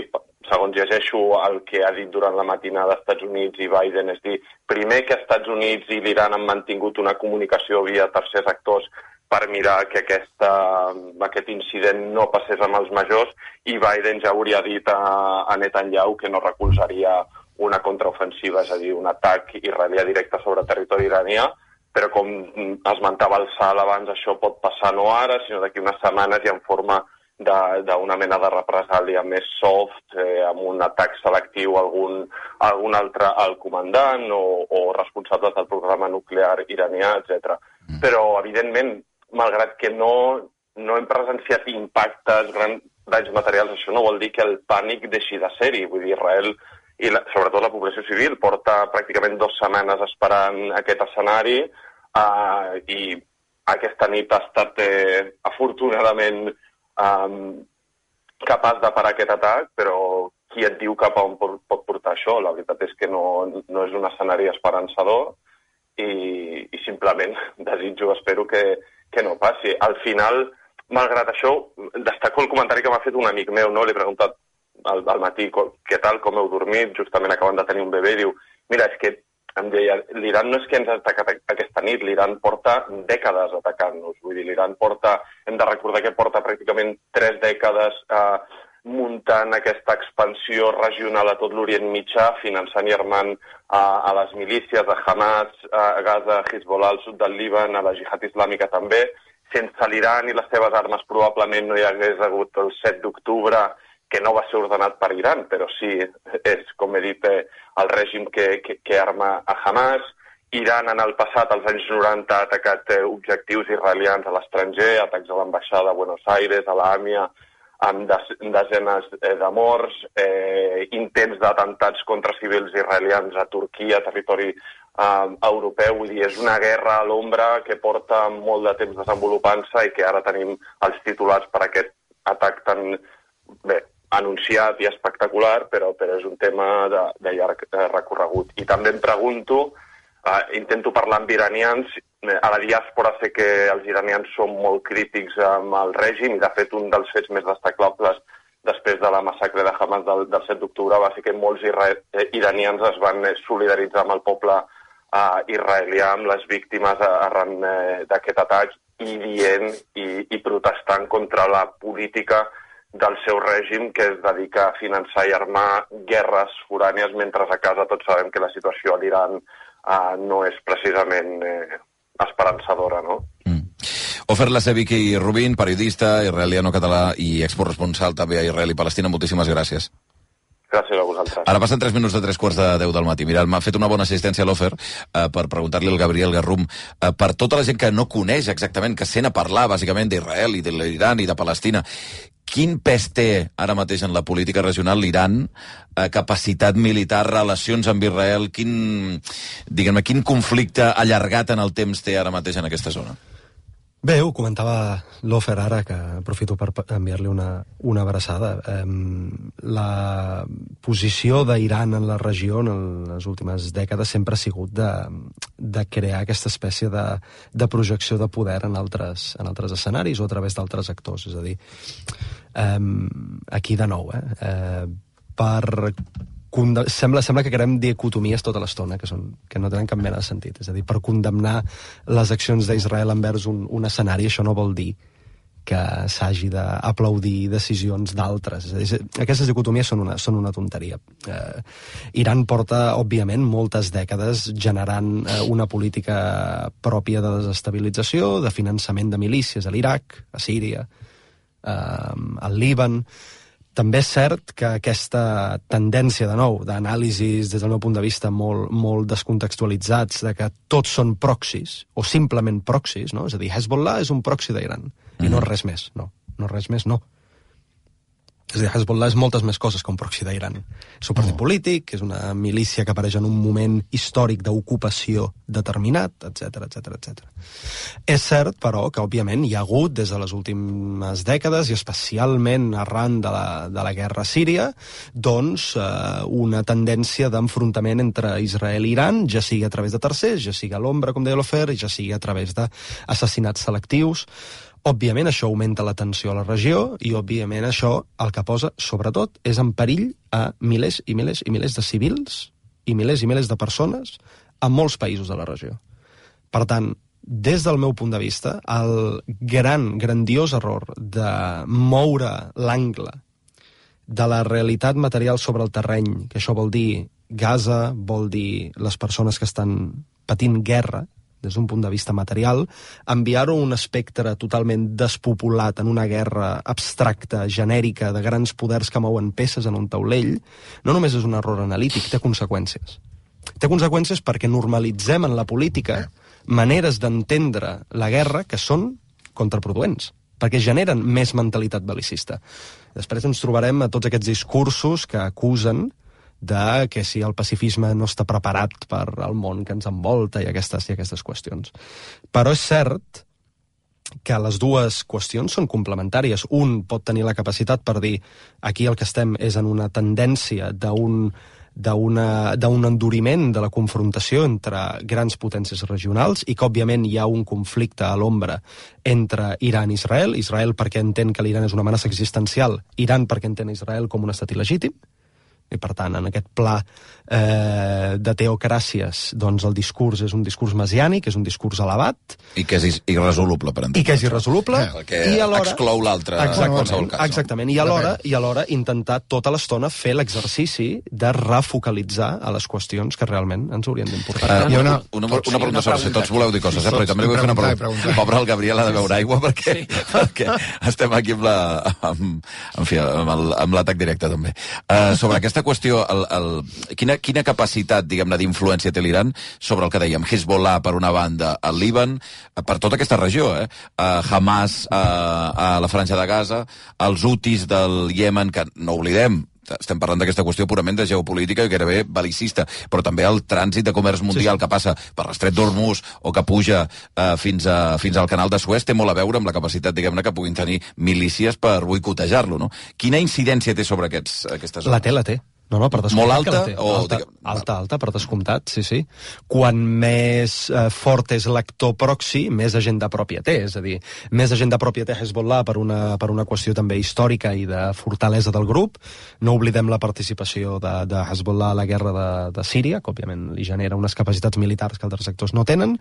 segons llegeixo el que ha dit durant la matinada Estats Units i Biden, és dir, primer que Estats Units i l'Iran han mantingut una comunicació via tercers actors per mirar que aquest incident no passés amb els majors, i Biden ja hauria dit a Netanyahu que no recolzaria una contraofensiva, és a dir, un atac israelià directe sobre territori iranià, però com esmentava el Sal abans, això pot passar no ara, sinó d'aquí unes setmanes i en forma d'una mena de represàlia més soft, amb un atac selectiu a algun altre alt comandant o responsables del programa nuclear iranià, etc. Però, evidentment, malgrat que no hem presenciat impactes, grans danys materials, això no vol dir que el pànic deixi de ser-hi. Vull dir, Israel i sobretot la població civil porta pràcticament 2 setmanes esperant aquest escenari i aquesta nit ha estat afortunadament capaç de parar aquest atac, però qui et diu cap a on pot portar això? La veritat és que no és un escenari esperançador i simplement desitjo, espero que no passi. Al final, malgrat això, destaco el comentari que m'ha fet un amic meu, no? Li he preguntat al matí què tal, com heu dormit, justament acabant de tenir un bebè, i diu, mira, és que em deia, l'Iran no és que ens ha atacat aquesta nit, l'Iran porta dècades atacant-nos, vull dir, l'Iran hem de recordar que porta pràcticament 3 dècades muntant aquesta expansió regional a tot l'Orient Mitjà, finançant i armant a les milícies de Hamas, a Gaza, a Hezbollah, al sud del Líban, a la Jihad Islàmica també, sense l'Iran i les seves armes probablement no hi hagués hagut el 7 d'octubre, que no va ser ordenat per Iran, però sí, és, com he dit, el règim que arma a Hamas. Iran en el passat, als anys 90, ha atacat objectius israelians a l'estranger, atacs a l'ambaixada de Buenos Aires, a l'AMIA, amb desenes de morts, intents d'atemptats contra civils israelians a Turquia, territori europeu. Vull dir, és una guerra a l'ombra que porta molt de temps desenvolupant-se i que ara tenim els titulars per aquest atac tan anunciat i espectacular, però és un tema de llarg recorregut. I també em pregunto, intento parlar amb iranians, a la diàspora sé que els iranians són molt crítics amb el règim, i de fet un dels fets més destacables després de la massacre de Hamas del 7 d'octubre va ser que molts iranians es van solidaritzar amb el poble israelià, amb les víctimes arran d'aquest atac, i dient i protestant contra la política del seu règim, que es dedica a finançar i armar guerres forànies, mentre a casa tots sabem que la situació a l'Iran no és precisament esperançadora, no? Ofer Laseviki Rubin, periodista israeliano-català i excorresponsal també a Israel i Palestina, moltíssimes gràcies. Gràcies a vosaltres. Ara passen 3 minuts de 3:45 del matí. Mira, m'ha fet una bona assistència l'Ofer per preguntar-li al Gabriel Garrum per tota la gent que no coneix exactament, que sent a parlar bàsicament d'Israel i de l'Iran i de Palestina. Quin pes té ara mateix en la política regional l'Iran, capacitat militar, relacions amb Israel, quin conflicte allargat en el temps té ara mateix en aquesta zona? Bé, ho comentava l'Ofer ara, que aprofito per enviar-li una abraçada. La posició d'Iran en la regió en les últimes dècades sempre ha sigut de crear aquesta espècie de projecció de poder en altres escenaris o a través d'altres actors. És a dir, aquí de nou, sembla que creem dicotomies tota l'estona, que no tenen cap mena de sentit. És a dir, per condemnar les accions d'Israel envers un escenari, això no vol dir que s'hagi d'aplaudir decisions d'altres. És a dir, aquestes dicotomies són una tonteria. Iran porta, òbviament, moltes dècades generant una política pròpia de desestabilització, de finançament de milícies a l'Iraq, a Síria, al Líban. També és cert que aquesta tendència, de nou, d'anàlisis, des del meu punt de vista, molt descontextualitzats, de que tots són proxys, o simplement proxys, no? És a dir, Hezbollah és un proxy d'Iran, i no res més, no és res més, no. És a dir, Hezbollah és moltes més coses que un proxy d'Iran. És un partit polític, és una milícia que apareix en un moment històric d'ocupació determinat, etc. És cert, però, que òbviament hi ha hagut, des de les últimes dècades, i especialment arran de la guerra a Síria, doncs una tendència d'enfrontament entre Israel i Iran, ja sigui a través de tercers, ja sigui a l'ombra, com deia l'Ofer, i ja sigui a través d'assassinats selectius. Òbviament això augmenta la tensió a la regió i òbviament això el que posa, sobretot, és en perill a milers i milers i milers de civils i milers de persones a molts països de la regió. Per tant, des del meu punt de vista, el grandiós error de moure l'angle de la realitat material sobre el terreny, que això vol dir Gaza, vol dir les persones que estan patint guerra, des d'un punt de vista material, enviar-ho a un espectre totalment despopulat en una guerra abstracta, genèrica, de grans poders que mouen peces en un taulell, no només és un error analític, té conseqüències. Té conseqüències perquè normalitzem en la política maneres d'entendre la guerra que són contraproduents, perquè generen més mentalitat bel·licista. Després ens trobarem a tots aquests discursos que acusen de que si el pacifisme no està preparat per al món que ens envolta i aquestes qüestions. Però és cert que les dues qüestions són complementàries. Un pot tenir la capacitat per dir aquí el que estem és en una tendència d'un enduriment de la confrontació entre grans potències regionals i que, òbviament, hi ha un conflicte a l'ombra entre Iran i Israel. Israel perquè entén que l'Iran és una amenaça existencial, Iran perquè entén Israel com un estat il·legítim. i per tant en aquest pla de teocràcies doncs el discurs és un discurs messiànic, és un discurs elevat i que és irresoluble per entendre. I que és irresoluble que i alhora exclou l'altre en qualsevol cas. Exactament, i alhora intentar tota l'estona fer l'exercici de refocalitzar a les qüestions que realment ens haurien d'importar. Una pregunta sobre si tots voleu dir coses, però també li vull fer una pregunta. Pobre el Gabriel ha de beure aigua perquè estem aquí amb l'atac directe també. Sobre aquesta qüestió, quina capacitat, diguem-ne, d'influència té l'Iran sobre el que dèiem, Hezbollah per una banda, el Líban, per tota aquesta regió, Hamas a la Franja de Gaza, els Houthis del Iemen, que no oblidem, estem parlant d'aquesta qüestió purament de geopolítica i gairebé belicista, però també el trànsit de comerç mundial que passa per l'estret d'Hormuz o que puja fins al canal de Suez té molt a veure amb la capacitat, diguem-ne, que puguin tenir milícies per boicotejar-lo, no? Quina incidència té sobre aquestes zones? La té. No, per descomptat. Molt alta? Alta, per descomptat, sí. Quan més fort és l'actor proxy, més agenda pròpia té. És a dir, més agenda pròpia té Hezbollah per una qüestió també històrica i de fortalesa del grup. No oblidem la participació de Hezbollah a la guerra de Síria, que òbviament li genera unes capacitats militars que altres sectors no tenen,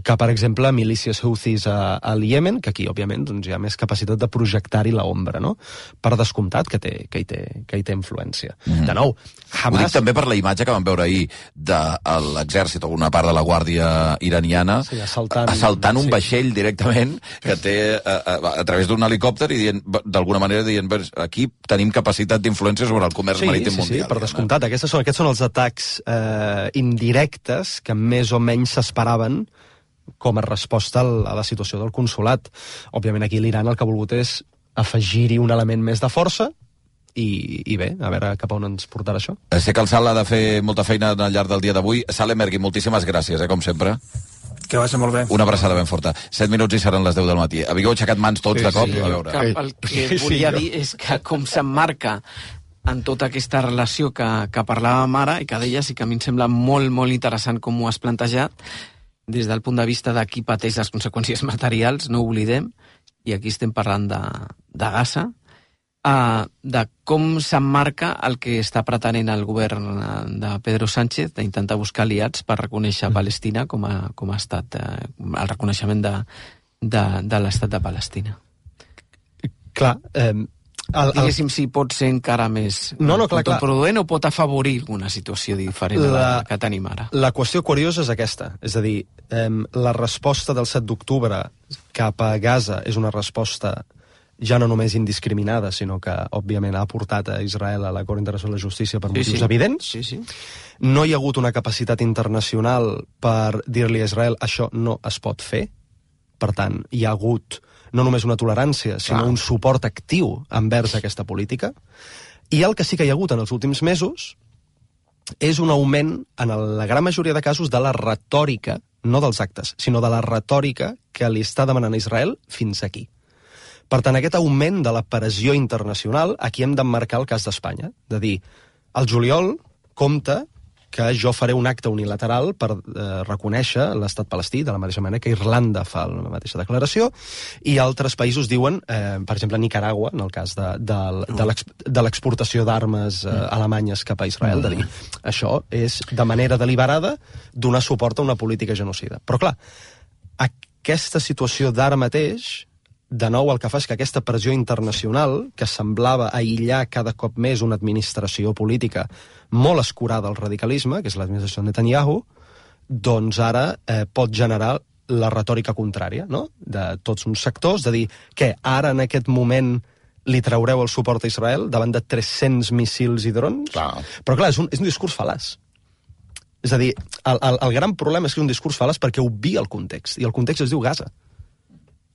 que, per exemple, milícies Houthis al Iemen, que aquí, òbviament, doncs, hi ha més capacitat de projectar-hi l'ombra, no? Per descomptat que hi té influència. De nou, Hamas... Ho dic també per la imatge que vam veure ahir de l'exèrcit o una part de la guàrdia iraniana assaltant un vaixell directament que té a través d'un helicòpter i d'alguna manera dient aquí tenim capacitat d'influència sobre el comerç marítim mundial. Sí, per descomptat. Aquests són els atacs indirectes que més o menys s'esperaven com a resposta a la situació del consolat. Òbviament aquí l'Iran el que ha volgut és afegir-hi un element més de força i bé, a veure cap a on ens portarà això. Sé que el Sal ha de fer molta feina al llarg del dia d'avui. Sal Emergui, moltíssimes gràcies, com sempre. Que vagi molt bé. Una abraçada ben forta. 7 minuts i seran les 10 del matí. Havíeu aixecat mans tots de cop? A veure. El que volia dir és que com s'emmarca en tota aquesta relació que parlàvem ara i que deies i que a mi em sembla molt, molt interessant com ho has plantejat, des del punt de vista de qui pateix les conseqüències materials, no ho oblidem, i aquí estem parlant de Gaza, de com s'emmarca el que està pretenent el govern de Pedro Sánchez d'intentar buscar aliats per reconèixer Palestina com a estat, el reconeixement de l'estat de Palestina. Clar, diguéssim si pot ser encara més contraproduent o pot afavorir una situació diferent a la que tenim ara. La qüestió curiosa és aquesta, és a dir, la resposta del 7 d'octubre cap a Gaza és una resposta ja no només indiscriminada, sinó que, òbviament, ha portat a Israel a la Cort Internacional de Justícia per motius evidents. No hi ha hagut una capacitat internacional per dir-li a Israel això no es pot fer. Per tant, hi ha hagut no només una tolerància, sinó un suport actiu envers aquesta política. I el que sí que hi ha hagut en els últims mesos és un augment, en la gran majoria de casos, de la retòrica, no dels actes, sinó de la retòrica que li està demanant a Israel fins aquí. Per tant, aquest augment de la pressió internacional, aquí hem d'emmarcar el cas d'Espanya. De dir, al juliol compta que jo faré un acte unilateral per reconèixer l'estat palestí, de la mateixa manera que Irlanda fa la mateixa declaració, i altres països diuen, per exemple, Nicaragua, en el cas de l'exportació d'armes alemanyes cap a Israel, de dir, això és de manera deliberada donar suport a una política genocida. Però clar, aquesta situació d'ara mateix, de nou el que fa és que aquesta pressió internacional, que semblava aïllar cada cop més una administració política molt escurada al radicalisme, que és l'administració de Netanyahu, doncs ara pot generar la retòrica contrària, no?, de tots uns sectors, de dir que ara en aquest moment li traureu el suport a Israel davant de 300 míssils i drons? Però clar, és un discurs fal·laç. És a dir, el gran problema és que és un discurs fal·laç perquè obvia el context, i el context es diu Gaza.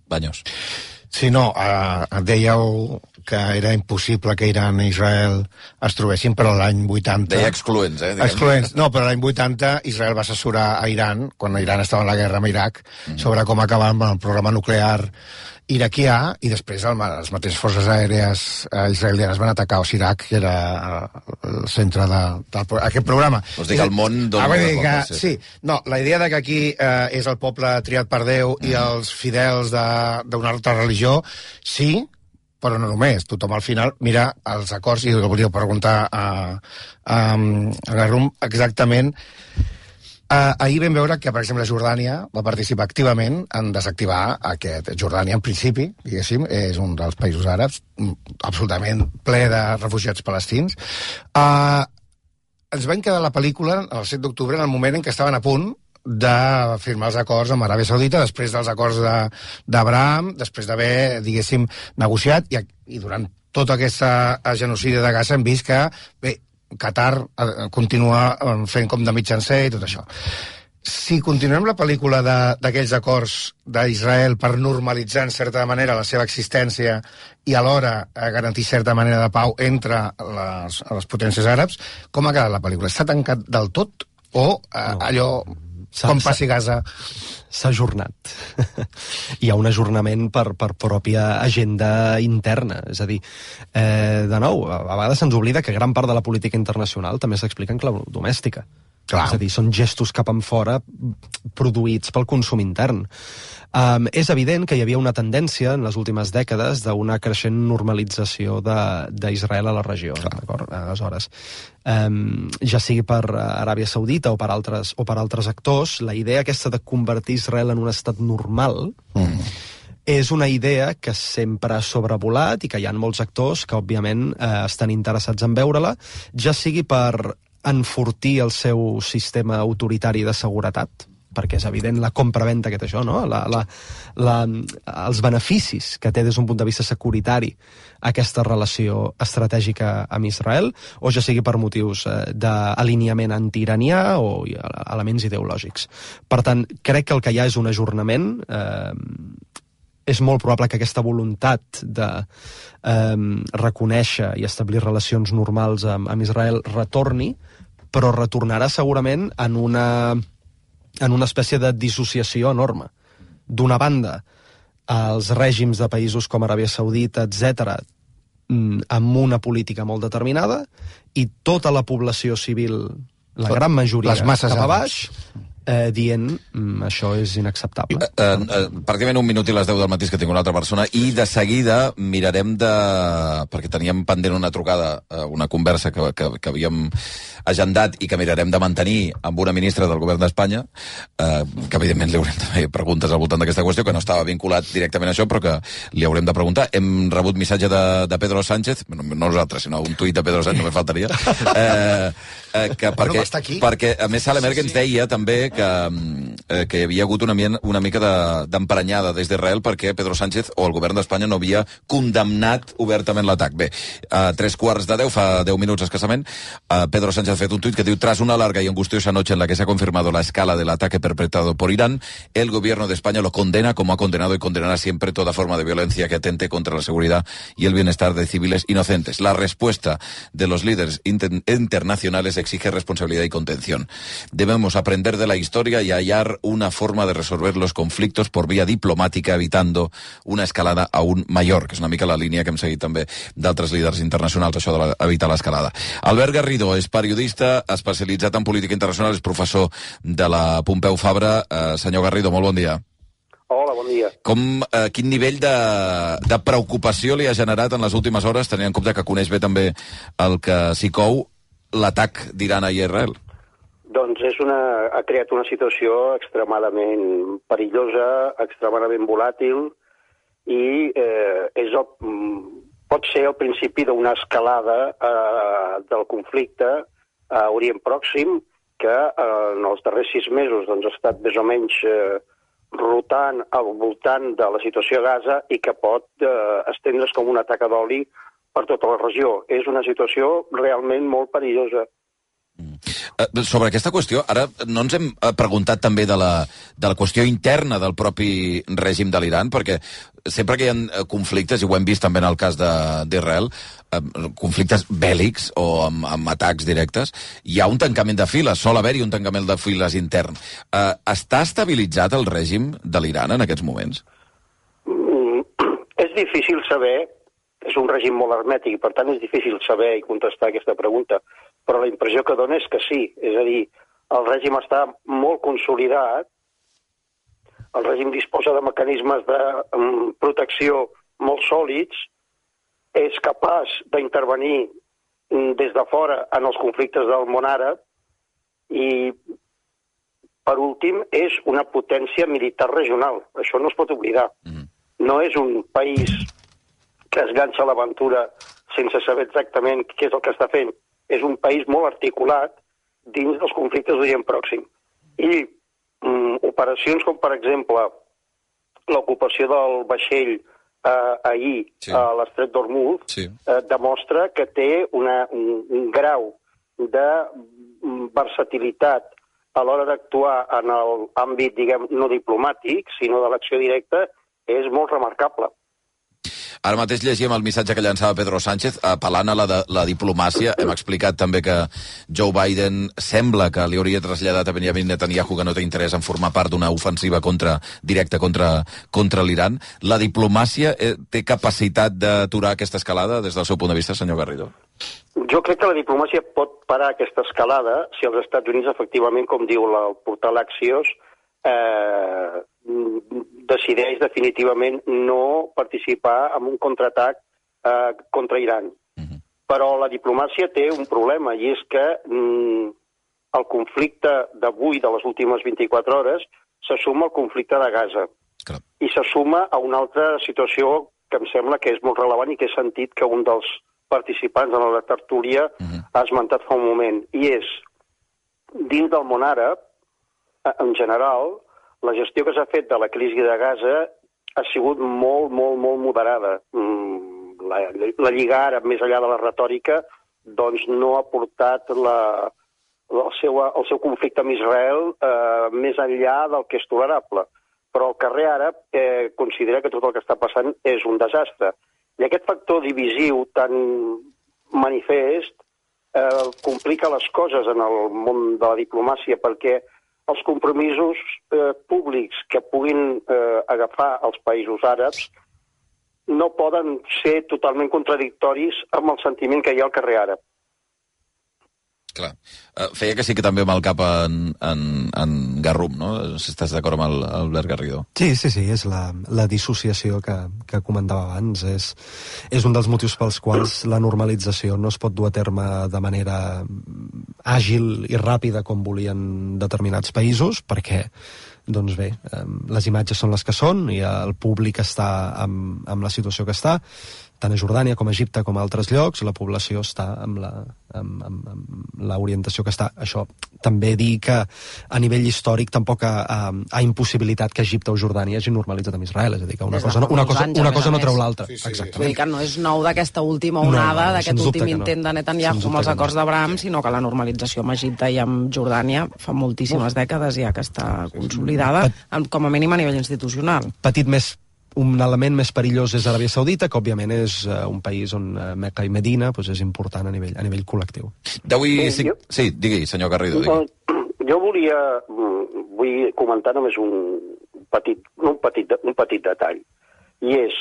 Banyos. Sí, no, dèieu que era impossible que Iran i Israel es trobessin, però l'any 80... Deia excloents, Excloents. No, però l'any 80 Israel va assessorar a Iran, quan Iran estava en la guerra amb Iraq, sobre com acabar amb el programa nuclear iraquià, i després les mateixes forces aèries israelianes van atacar Osirak, que era el centre d'aquest programa. Vols dir que el món dona moltes voltes. Sí, no, la idea de que aquí és el poble triat per Déu i els fidels d'una altra religió, sí, però no només. Tothom al final mira els acords, i volia preguntar a Garrum exactament. Ahir vam veure que, per exemple, Jordània va participar activament en desactivar aquest... Jordània, en principi, diguéssim, és un dels països àrabs absolutament ple de refugiats palestins. Ens van quedar la pel·lícula el 7 d'octubre en el moment en què estaven a punt de firmar els acords amb Aràbia Saudita, després dels acords d'Abraham, després d'haver, diguéssim, negociat, i durant tota aquesta genocidi de Gaza hem vist que, bé, Qatar continua fent com de mitjancer i tot això. Si continuem la pel·lícula d'aquells acords d'Israel per normalitzar en certa manera la seva existència i alhora garantir certa manera de pau entre les potències àrabs, com ha quedat la pel·lícula? Està tancat del tot o allò... Com passi Gaza? S'ha ajornat. Hi ha un ajornament per pròpia agenda interna. És a dir, de nou, a vegades se'ns oblida que gran part de la política internacional també s'explica en clau domèstica. Clar. És a dir, són gestos cap enfora produïts pel consum intern. És evident que hi havia una tendència en les últimes dècades d'una creixent normalització d'Israel a la regió. Aleshores, ja sigui per Aràbia Saudita o per altres actors, la idea aquesta de convertir Israel en un estat normal és una idea que sempre ha sobrevolat i que hi ha molts actors que, òbviament, estan interessats en veure-la, ja sigui per enfortir el seu sistema autoritari de seguretat, perquè és evident la compra-venta que té això, no? Els beneficis que té des d'un punt de vista securitari aquesta relació estratègica amb Israel, o ja sigui per motius d'alineament antiiranià o elements ideològics. Per tant, crec que el que hi ha és un ajornament. És molt probable que aquesta voluntat de reconèixer i establir relacions normals amb Israel retorni, però retornarà segurament en una espècie de dissociació enorme. D'una banda, els règims de països com Aràbia Saudita, etc., amb una política molt determinada, i tota la població civil, la gran majoria, cap a baix, dient això és inacceptable. Pràcticament un minut i les 10 del matí que tinc una altra persona, i de seguida mirarem perquè teníem pendent una trucada, una conversa que havíem agendat i que mirarem de mantenir amb una ministra del govern d'Espanya, que evidentment li haurem de fer preguntes al voltant d'aquesta qüestió, que no estava vinculat directament a això, però que li haurem de preguntar. Hem rebut missatge de Pedro Sánchez, no nosaltres, sinó un tuit de Pedro Sánchez, només faltaria, perquè a més Sala Merkel ens deia també que hi havia hagut una mica d'emprenyada des d'Israel perquè Pedro Sánchez o el govern d'Espanya no havia condemnat obertament l'atac. Bé, a 3:15, fa 10 minuts escassament, Pedro Sánchez ha fet un tuit que diu: tras una larga y angustiosa noche en la que se ha confirmado la escala del ataque perpetrado por Irán, el gobierno de España lo condena, como ha condenado y condenará siempre toda forma de violencia que atente contra la seguridad y el bienestar de civiles inocentes. La respuesta de los líderes internacionales exige responsabilidad y contención. Debemos aprender de la historia y hallar una forma de resolver los conflictos por vía diplomática, evitando una escalada aún mayor, que és una mica la línia que hem seguit també d'altres líders internacionals, això d'evitar l'escalada. Albert Garrido és periodista especialitzat en política internacional, és professor de la Pompeu Fabra. Senyor Garrido, molt bon dia. Hola, bon dia. Quin nivell de preocupació li ha generat en les últimes hores, tenint en compte que coneix bé també el que s'hi cou, l'atac d'Iran a Israel? Doncs ha creat una situació extremadament perillosa, extremadament volàtil, i pot ser el principi d'una escalada del conflicte a Orient Pròxim, que en els darrers 6 mesos ha estat més o menys rotant al voltant de la situació a Gaza i que pot estendre's com una taca d'oli per tota la regió. És una situació realment molt perillosa. Sobre aquesta qüestió, ara no ens hem preguntat també de la qüestió interna del propi règim de l'Iran, perquè sempre que hi ha conflictes, i ho hem vist també en el cas d'Israel, conflictes bèl·lics o amb atacs directes, hi ha un tancament de files, sol haver-hi un tancament de files intern. Està estabilitzat el règim de l'Iran en aquests moments? És difícil saber, és un règim molt hermètic i per tant és difícil saber i contestar aquesta pregunta, però la impressió que dona és que sí, és a dir, el règim està molt consolidat, el règim disposa de mecanismes de protecció molt sòlids és capaç d'intervenir des de fora en els conflictes del món àrab i, per últim, és una potència militar regional. Això no es pot oblidar. No és un país que es ganxa a l'aventura sense saber exactament què és el que està fent. És un país molt articulat dins dels conflictes d'Orient Pròxim. I operacions com, per exemple, l'ocupació del vaixell ahir a l'estret d'Hormuz demostra que té un grau de versatilitat a l'hora d'actuar en l'àmbit, diguem, no diplomàtic, sinó de l'acció directa, és molt remarcable. Ara mateix llegíem el missatge que llançava Pedro Sánchez apel·lant a la diplomàcia. Hem explicat també que Joe Biden sembla que li hauria traslladat a Benjamin Netanyahu que no té interès en formar part d'una ofensiva directa contra l'Iran. La diplomàcia té capacitat d'aturar aquesta escalada des del seu punt de vista, senyor Garrido? Jo crec que la diplomàcia pot parar aquesta escalada si els Estats Units, efectivament, com diu el portal Axios, decideix definitivament no participar en un contraatac contra Iran. Però la diplomàcia té un problema, i és que el conflicte d'avui, de les últimes 24 hores, se suma al conflicte de Gaza. I se suma a una altra situació que em sembla que és molt relevant i que he sentit que un dels participants en la tertúlia ha esmentat fa un moment. I és, dins del món àrab, en general, la gestió que s'ha fet de la crisi de Gaza ha sigut molt, molt, molt moderada. La Lliga Àrab, més enllà de la retòrica, doncs no ha portat el seu conflicte amb Israel més enllà del que és tolerable. Però el carrer àrab considera que tot el que està passant és un desastre. I aquest factor divisiu tan manifest complica les coses en el món de la diplomàcia, perquè els compromisos públics que puguin agafar els països àrabs no poden ser totalment contradictoris amb el sentiment que hi ha al carrer àrab. Clar. Feia que sí que també amb el cap en Garrum, no? Si estàs d'acord amb l'Albert Garrido. Sí, és la dissociació que comentava abans. És un dels motius pels quals la normalització no es pot dur a terme de manera àgil i ràpida com volien determinats països, perquè doncs bé, les imatges són les que són i el públic està amb la situació que està. Tant a Jordània com a Egipte com a altres llocs, la població està amb l'orientació que està. Això també dir que a nivell històric tampoc ha impossibilitat que Egipte o Jordània hagin normalitzat amb Israel, és a dir, que una cosa no treu l'altra. Vull dir que no és nou d'aquesta última onada, d'aquest últim intent de Netanyahu amb els acords d'Abraham, sinó que la normalització amb Egipte i amb Jordània fa moltíssimes dècades ja que està consolidada, com a mínim a nivell institucional. Un element més perillós és Aràbia Saudita, que òbviament és un país on Meca i Medina és important a nivell col·lectiu. Sí, digui, senyor Garrido. Jo vull comentar només un petit detall. I és,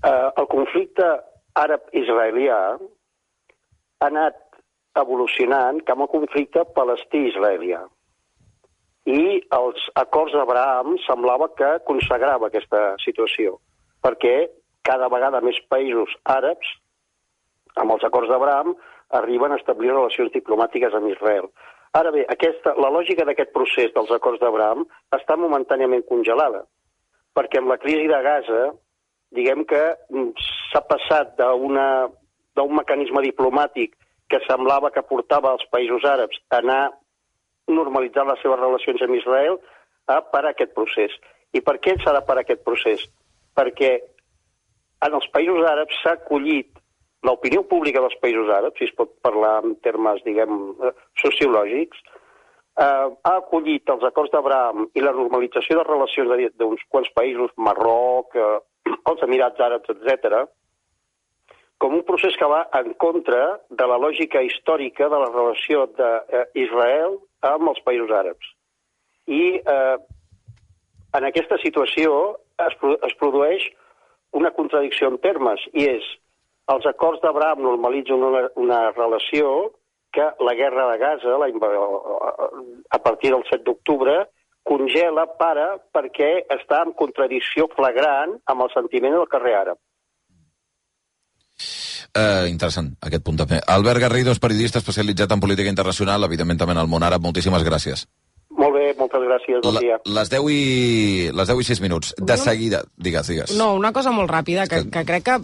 el conflicte àrab-israelià ha anat evolucionant cap a un conflicte palestí-israelià. I els acords d'Abraham semblava que consagrava aquesta situació, perquè cada vegada més països àrabs, amb els acords d'Abraham, arriben a establir relacions diplomàtiques amb Israel. Ara bé, la lògica d'aquest procés dels acords d'Abraham està momentàniament congelada, perquè amb la crisi de Gaza, diguem que s'ha passat d'un mecanisme diplomàtic que semblava que portava els països àrabs a anar normalitzar les seves relacions amb Israel a parar aquest procés. I per què s'ha de parar aquest procés? Perquè en els països àrabs s'ha acollit, l'opinió pública dels països àrabs, si es pot parlar en termes, diguem, sociològics, ha acollit els acords d'Abraham i la normalització de relacions d'uns quants països, Marroc, els Emirats Àrabs, etc., com un procés que va en contra de la lògica històrica de la relació d'Israel amb els països àrabs. I en aquesta situació es produeix una contradicció en termes, i és, els acords d'Abraham normalitzen una relació que la guerra de Gaza, a partir del 7 d'octubre, congela, perquè està en contradicció flagrant amb el sentiment del carrer àrab. Interessant, aquest punt també. Albert Garrido és periodista especialitzat en política internacional, evidentment també en el món àrab. Moltíssimes gràcies. Molt bé, moltes gràcies, bon dia. Les 10 i 6 minuts. De seguida, digues. No, una cosa molt ràpida, que crec que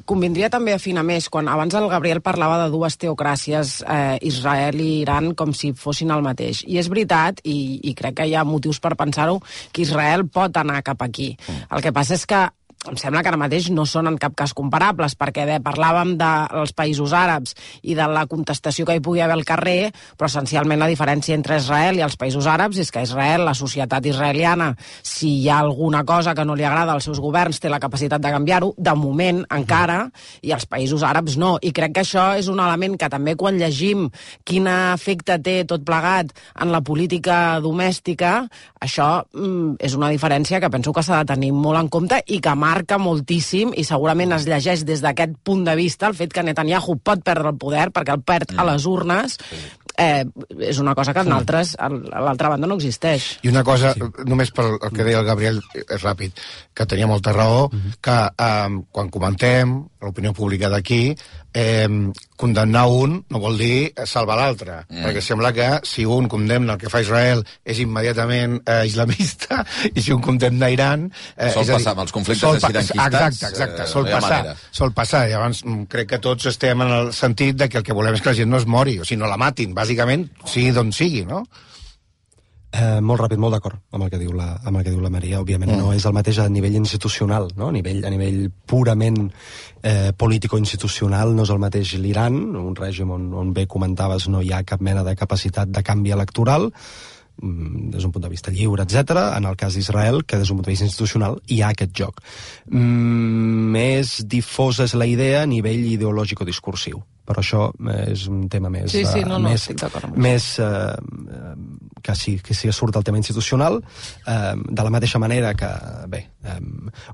convindria també afinar més. Quan abans el Gabriel parlava de dues teocràcies, Israel i Iran, com si fossin el mateix. I és veritat, i crec que hi ha motius per pensar-ho, que Israel pot anar cap aquí. El que passa és que em sembla que ara mateix no són en cap cas comparables, perquè parlàvem dels països àrabs i de la contestació que hi pugui haver al carrer, però essencialment la diferència entre Israel i els països àrabs és que Israel, la societat israeliana, si hi ha alguna cosa que no li agrada als seus governs, té la capacitat de canviar-ho, de moment encara, i els països àrabs no. I crec que això és un element que també quan llegim quin efecte té tot plegat en la política domèstica, això és una diferència que penso que s'ha de tenir molt en compte i que marca moltíssim, i segurament es llegeix des d'aquest punt de vista el fet que Netanyahu pot perdre el poder perquè el perd a les urnes, és una cosa que a l'altra banda no existeix. I una cosa, només pel que deia el Gabriel, és ràpid, que tenia molta raó, que quan comentem l'opinió pública d'aquí, condemnar un no vol dir salvar l'altre, perquè sembla que si un condemna el que fa Israel és immediatament islamista, i si un condemna Iran... Sol passar amb els conflictes xiranquistes. Exacte, sol passar. I llavors crec que tots estem en el sentit de que el que volem és que la gent no es mori, o sigui, no la matin, bàsicament, sigui d'on sigui, no? Molt ràpid, molt d'acord amb el que diu la Maria. Òbviament no és el mateix a nivell institucional, no? A nivell purament político-institucional no és el mateix l'Iran, un règim on bé comentaves no hi ha cap mena de capacitat de canvi electoral, des d'un punt de vista lliure, etc. En el cas d'Israel, que des d'un punt de vista institucional hi ha aquest joc. Més difosa és la idea a nivell ideològico-discursiu, però això és un tema més... estic d'acord amb que sí surt el tema institucional, de la mateixa manera que,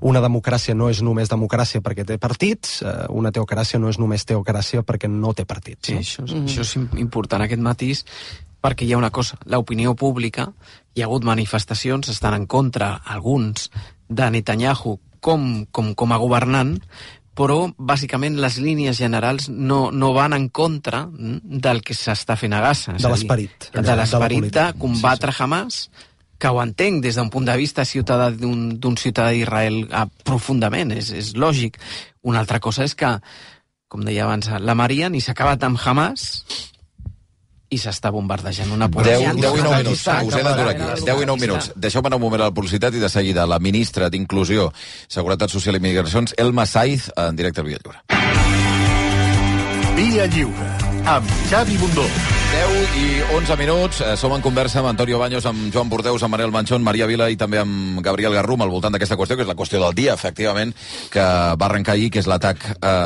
una democràcia no és només democràcia perquè té partits, una teocràcia no és només teocràcia perquè no té partits. Sí, això és important, aquest matís, perquè hi ha una cosa, l'opinió pública, hi ha hagut manifestacions, estan en contra, alguns, de Netanyahu com a governant, però bàsicament les línies generals no van en contra del que s'està fent a Gaza. De l'esperit. De l'esperit de combatre Hamas, que ho entenc des d'un punt de vista ciutadà d'un ciutadà d'Israel profundament, és lògic. Una altra cosa és que, com deia abans la Maria, ni s'ha acabat amb Hamas i s'està bombardejant una població. 10 i 9 minuts, us he d'aturar aquí. 10 i 9 minuts. Deixeu-me anar un moment a la publicitat i de seguida la ministra d'Inclusió, Seguretat Social i Migracions, Elma Saiz, en directe al Via Lliure. Via Lliure, amb Xavi Bundó. 10 i 11 minuts, som en conversa amb Antonio Baños, amb Joan Bordeus, amb Manel Manchón, Maria Vila i també amb Gabriel Garrum al voltant d'aquesta qüestió, que és la qüestió del dia, efectivament, que va arrencar ahir, que és l'atac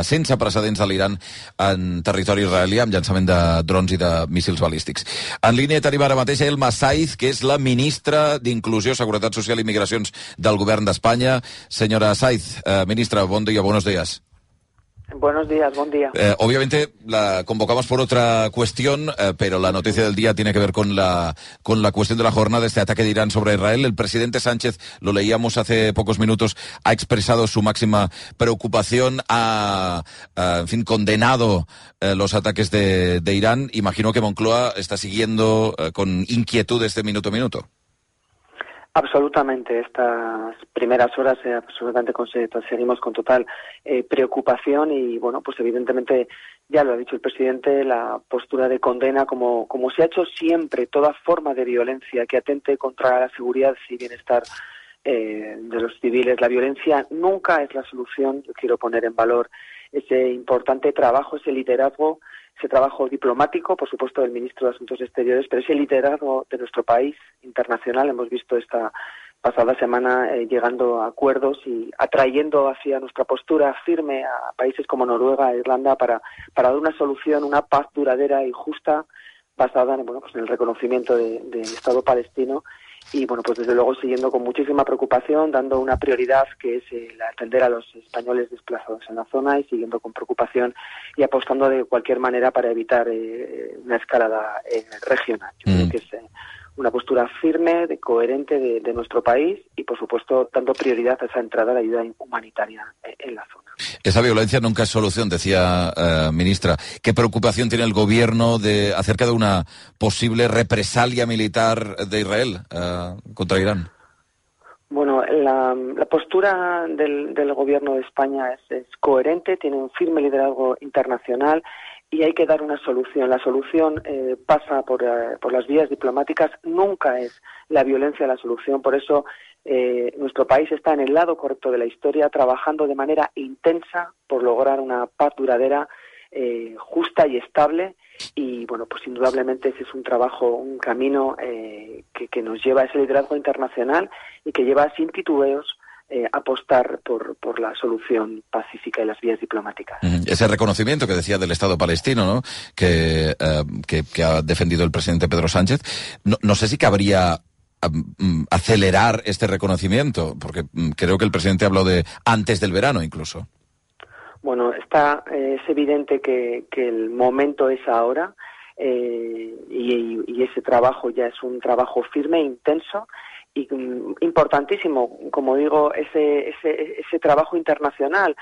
sense precedents de l'Iran en territori israelià, amb llançament de drons i de míssils balístics. En línia tenim ara mateix Elma Saiz, que és la ministra d'Inclusió, Seguretat Social i Migracions del Govern d'Espanya. Senyora Saiz, ministra, bon dia, buenos días. Buenos días, buen día. Obviamente la convocamos por otra cuestión, pero la noticia del día tiene que ver con la cuestión de la jornada, este ataque de Irán sobre Israel. El presidente Sánchez, lo leíamos hace pocos minutos, ha expresado su máxima preocupación, ha condenado los ataques de Irán. Imagino que Moncloa está siguiendo con inquietud este minuto a minuto. Absolutamente, estas primeras horas absolutamente seguimos con total preocupación y, bueno, pues evidentemente, ya lo ha dicho el presidente, la postura de condena, como se ha hecho siempre, toda forma de violencia que atente contra la seguridad y bienestar de los civiles. La violencia nunca es la solución. Yo quiero poner en valor ese importante trabajo, ese liderazgo, ese trabajo diplomático, por supuesto, del ministro de Asuntos Exteriores, pero ese liderazgo de nuestro país internacional. Hemos visto esta pasada semana llegando a acuerdos y atrayendo hacia nuestra postura firme a países como Noruega e Irlanda para dar una solución, una paz duradera y justa basada en el reconocimiento del Estado palestino. Y bueno, pues desde luego siguiendo con muchísima preocupación, dando una prioridad que es el atender a los españoles desplazados en la zona y siguiendo con preocupación y apostando de cualquier manera para evitar una escalada regional. Yo creo que es una postura firme, coherente de nuestro país y por supuesto dando prioridad a esa entrada de ayuda humanitaria en la zona. Esa violencia nunca es solución, decía ministra. ¿Qué preocupación tiene el gobierno acerca de una posible represalia militar de Israel contra Irán? Bueno, la postura del gobierno de España es coherente, tiene un firme liderazgo internacional y hay que dar una solución. La solución pasa por las vías diplomáticas, nunca es la violencia la solución. Por eso nuestro país está en el lado correcto de la historia, trabajando de manera intensa por lograr una paz duradera, justa y estable. Y bueno, pues indudablemente ese es un trabajo, un camino que nos lleva a ese liderazgo internacional y que lleva sin titubeos apostar por la solución pacífica y las vías diplomáticas. Ese reconocimiento que decía del Estado palestino, ¿no?, que ha defendido el presidente Pedro Sánchez, no sé si cabría acelerar este reconocimiento, porque creo que el presidente habló de antes del verano incluso. Bueno, es evidente que el momento es ahora y ese trabajo ya es un trabajo firme, intenso y importantísimo, como digo, ese trabajo internacional,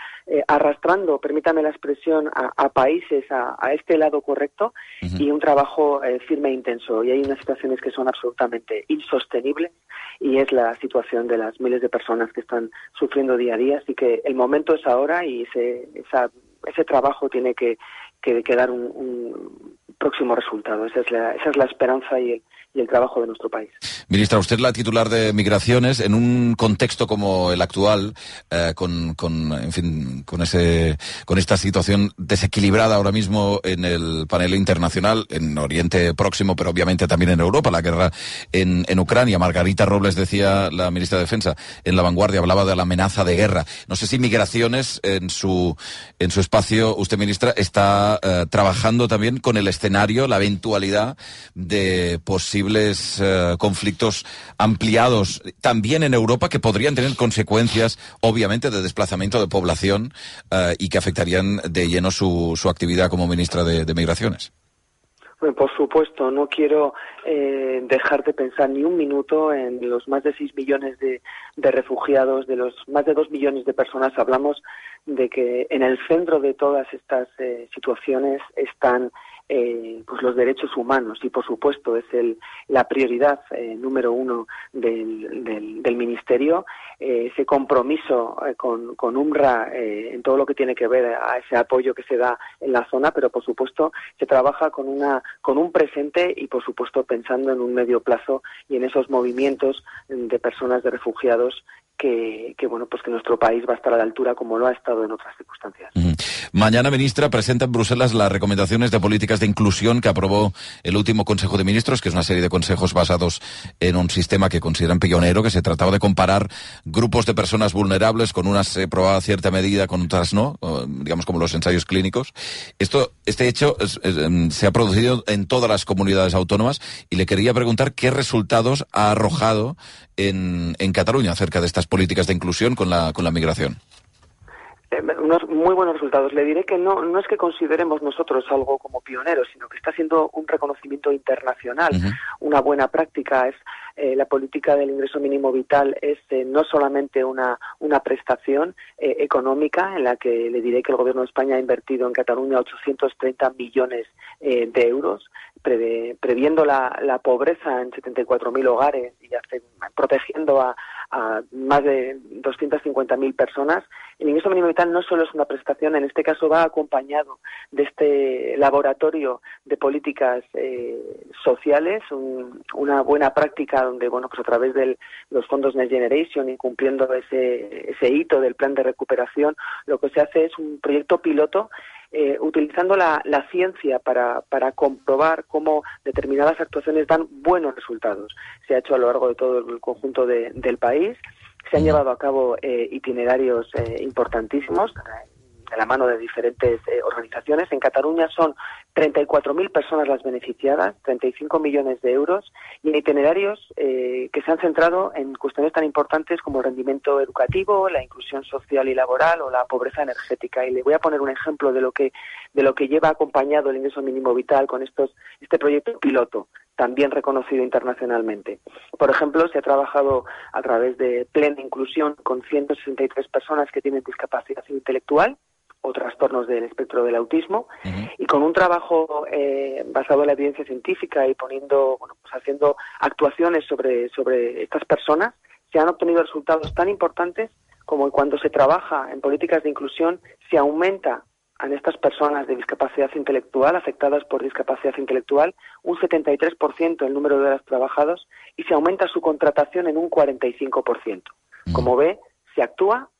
arrastrando, permítame la expresión, a países a este lado correcto y un trabajo firme e intenso. Y hay unas situaciones que son absolutamente insostenibles y es la situación de las miles de personas que están sufriendo día a día. Así que el momento es ahora y ese trabajo tiene que dar un próximo resultado. Esa es la esperanza y el trabajo de nuestro país. Ministra, usted es la titular de Migraciones en un contexto como el actual, con esta situación desequilibrada ahora mismo en el panel internacional, en Oriente Próximo, pero obviamente también en Europa, la guerra en Ucrania. Margarita Robles, decía la ministra de Defensa, en La Vanguardia, hablaba de la amenaza de guerra. No sé si Migraciones, en su espacio, usted, ministra, está trabajando también con el escenario, la eventualidad de posibles conflictos ampliados también en Europa que podrían tener consecuencias, obviamente, de desplazamiento de población y que afectarían de lleno su actividad como ministra de Migraciones. Bueno, por supuesto, no quiero dejar de pensar ni un minuto en los más de 6 millones de refugiados, de los más de 2 millones de personas. Hablamos de que en el centro de todas estas situaciones están pues los derechos humanos y por supuesto es la prioridad número uno del ministerio, ese compromiso con UNRWA en todo lo que tiene que ver a ese apoyo que se da en la zona, pero por supuesto se trabaja con un presente y por supuesto pensando en un medio plazo y en esos movimientos de personas, de refugiados que bueno, pues que nuestro país va a estar a la altura como lo ha estado en otras circunstancias. Mañana, ministra, presenta en Bruselas las recomendaciones de políticas de inclusión que aprobó el último Consejo de Ministros, que es una serie de consejos basados en un sistema que consideran pionero, que se trataba de comparar grupos de personas vulnerables, con unas se probaba cierta medida, con otras no, digamos como los ensayos clínicos. Este hecho se ha producido en todas las comunidades autónomas y le quería preguntar qué resultados ha arrojado en Cataluña acerca de estas políticas de inclusión con la migración. Unos muy buenos resultados. Le diré que no es que consideremos nosotros algo como pioneros, sino que está siendo un reconocimiento internacional. Una buena práctica es la política del ingreso mínimo vital es no solamente una prestación económica en la que le diré que el Gobierno de España ha invertido en Cataluña 830 millones de euros, previendo la pobreza en 74.000 hogares y protegiendo a más de 250.000 personas. El ingreso mínimo vital no solo es una prestación, en este caso va acompañado de este laboratorio de políticas sociales, una buena práctica donde, bueno, pues a través de los fondos Next Generation, incumpliendo ese hito del plan de recuperación, lo que se hace es un proyecto piloto utilizando la ciencia para comprobar cómo determinadas actuaciones dan buenos resultados. Se ha hecho a lo largo de todo el conjunto del país, se han llevado a cabo itinerarios importantísimos de la mano de diferentes organizaciones. En Cataluña son 34.000 personas las beneficiadas, 35 millones de euros, y en itinerarios que se han centrado en cuestiones tan importantes como el rendimiento educativo, la inclusión social y laboral o la pobreza energética. Y le voy a poner un ejemplo de lo que lleva acompañado el ingreso mínimo vital con este proyecto piloto también reconocido internacionalmente. Por ejemplo, se ha trabajado a través de Plena Inclusión con 163 personas que tienen discapacidad intelectual o trastornos del espectro del autismo, y con un trabajo basado en la evidencia científica y haciendo actuaciones sobre estas personas, se han obtenido resultados tan importantes como cuando se trabaja en políticas de inclusión, se aumenta en estas personas de discapacidad intelectual, afectadas por discapacidad intelectual, un 73% el número de horas trabajadas, y se aumenta su contratación en un 45%. Como ve, se actúa,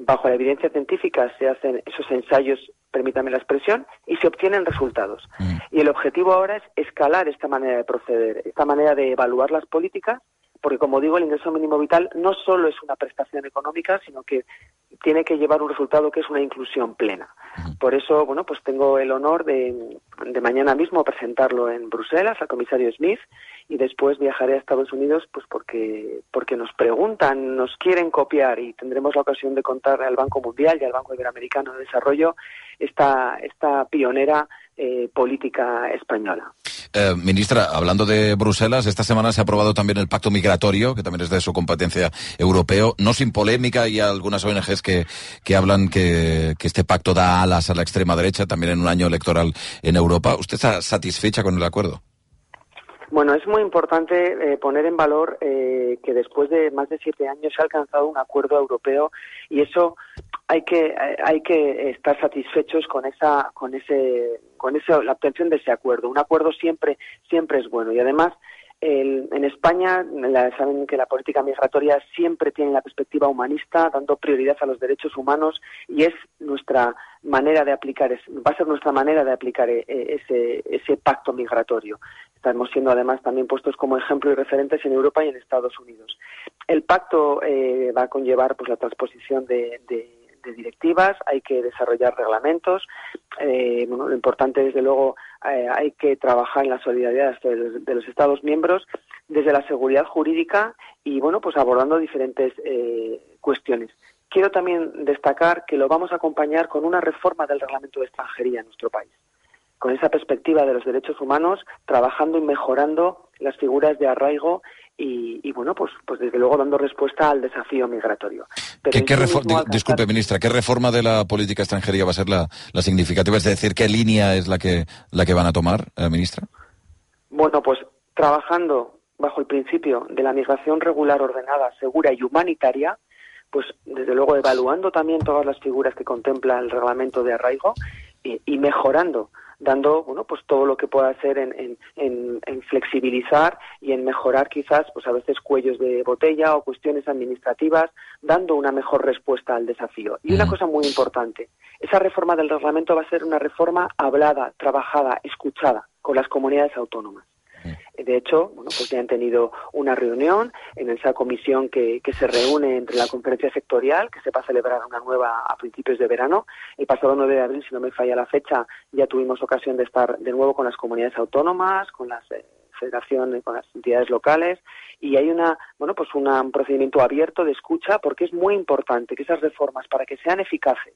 bajo la evidencia científica se hacen esos ensayos, permítame la expresión, y se obtienen resultados. Y el objetivo ahora es escalar esta manera de proceder, esta manera de evaluar las políticas, porque, como digo, el ingreso mínimo vital no solo es una prestación económica, sino que tiene que llevar un resultado que es una inclusión plena. Por eso, pues tengo el honor de mañana mismo presentarlo en Bruselas al comisario Smith, y después viajaré a Estados Unidos pues porque nos preguntan, nos quieren copiar, y tendremos la ocasión de contarle al Banco Mundial y al Banco Iberoamericano de Desarrollo esta pionera política española. Ministra, hablando de Bruselas, esta semana se ha aprobado también el Pacto Migratorio, que también es de su competencia europeo, no sin polémica. Hay algunas ONGs que hablan que este pacto da alas a la extrema derecha, también en un año electoral en Europa. ¿Usted está satisfecha con el acuerdo? Bueno, es muy importante poner en valor que después de más de 7 años se ha alcanzado un acuerdo europeo, y eso hay que estar satisfechos con la obtención de ese acuerdo. Un acuerdo siempre es bueno, y además en España saben que la política migratoria siempre tiene la perspectiva humanista, dando prioridad a los derechos humanos, y es nuestra manera de aplicar, va a ser nuestra manera de aplicar ese pacto migratorio. Estamos siendo además también puestos como ejemplo y referentes en Europa y en Estados Unidos. El pacto va a conllevar la transposición de directivas, hay que desarrollar reglamentos. Lo importante, desde luego, hay que trabajar en la solidaridad de los Estados miembros desde la seguridad jurídica y, abordando diferentes cuestiones. Quiero también destacar que lo vamos a acompañar con una reforma del reglamento de extranjería en nuestro país, con esa perspectiva de los derechos humanos, trabajando y mejorando las figuras de arraigo y desde luego dando respuesta al desafío migratorio. Disculpe, ministra, ¿qué reforma de la política extranjería va a ser la significativa? Es decir, ¿qué línea es la que van a tomar, ministra? Trabajando bajo el principio de la migración regular, ordenada, segura y humanitaria, desde luego evaluando también todas las figuras que contempla el reglamento de arraigo y mejorando, dando todo lo que pueda hacer en flexibilizar y en mejorar quizás a veces cuellos de botella o cuestiones administrativas, dando una mejor respuesta al desafío. Y una cosa muy importante, esa reforma del reglamento va a ser una reforma hablada, trabajada, escuchada con las comunidades autónomas. De hecho, ya han tenido una reunión en esa comisión que se reúne entre la conferencia sectorial, que se va a celebrar una nueva a principios de verano. El pasado 9 de abril, si no me falla la fecha, ya tuvimos ocasión de estar de nuevo con las comunidades autónomas, con las federaciones, con las entidades locales, y hay un procedimiento abierto de escucha, porque es muy importante que esas reformas, para que sean eficaces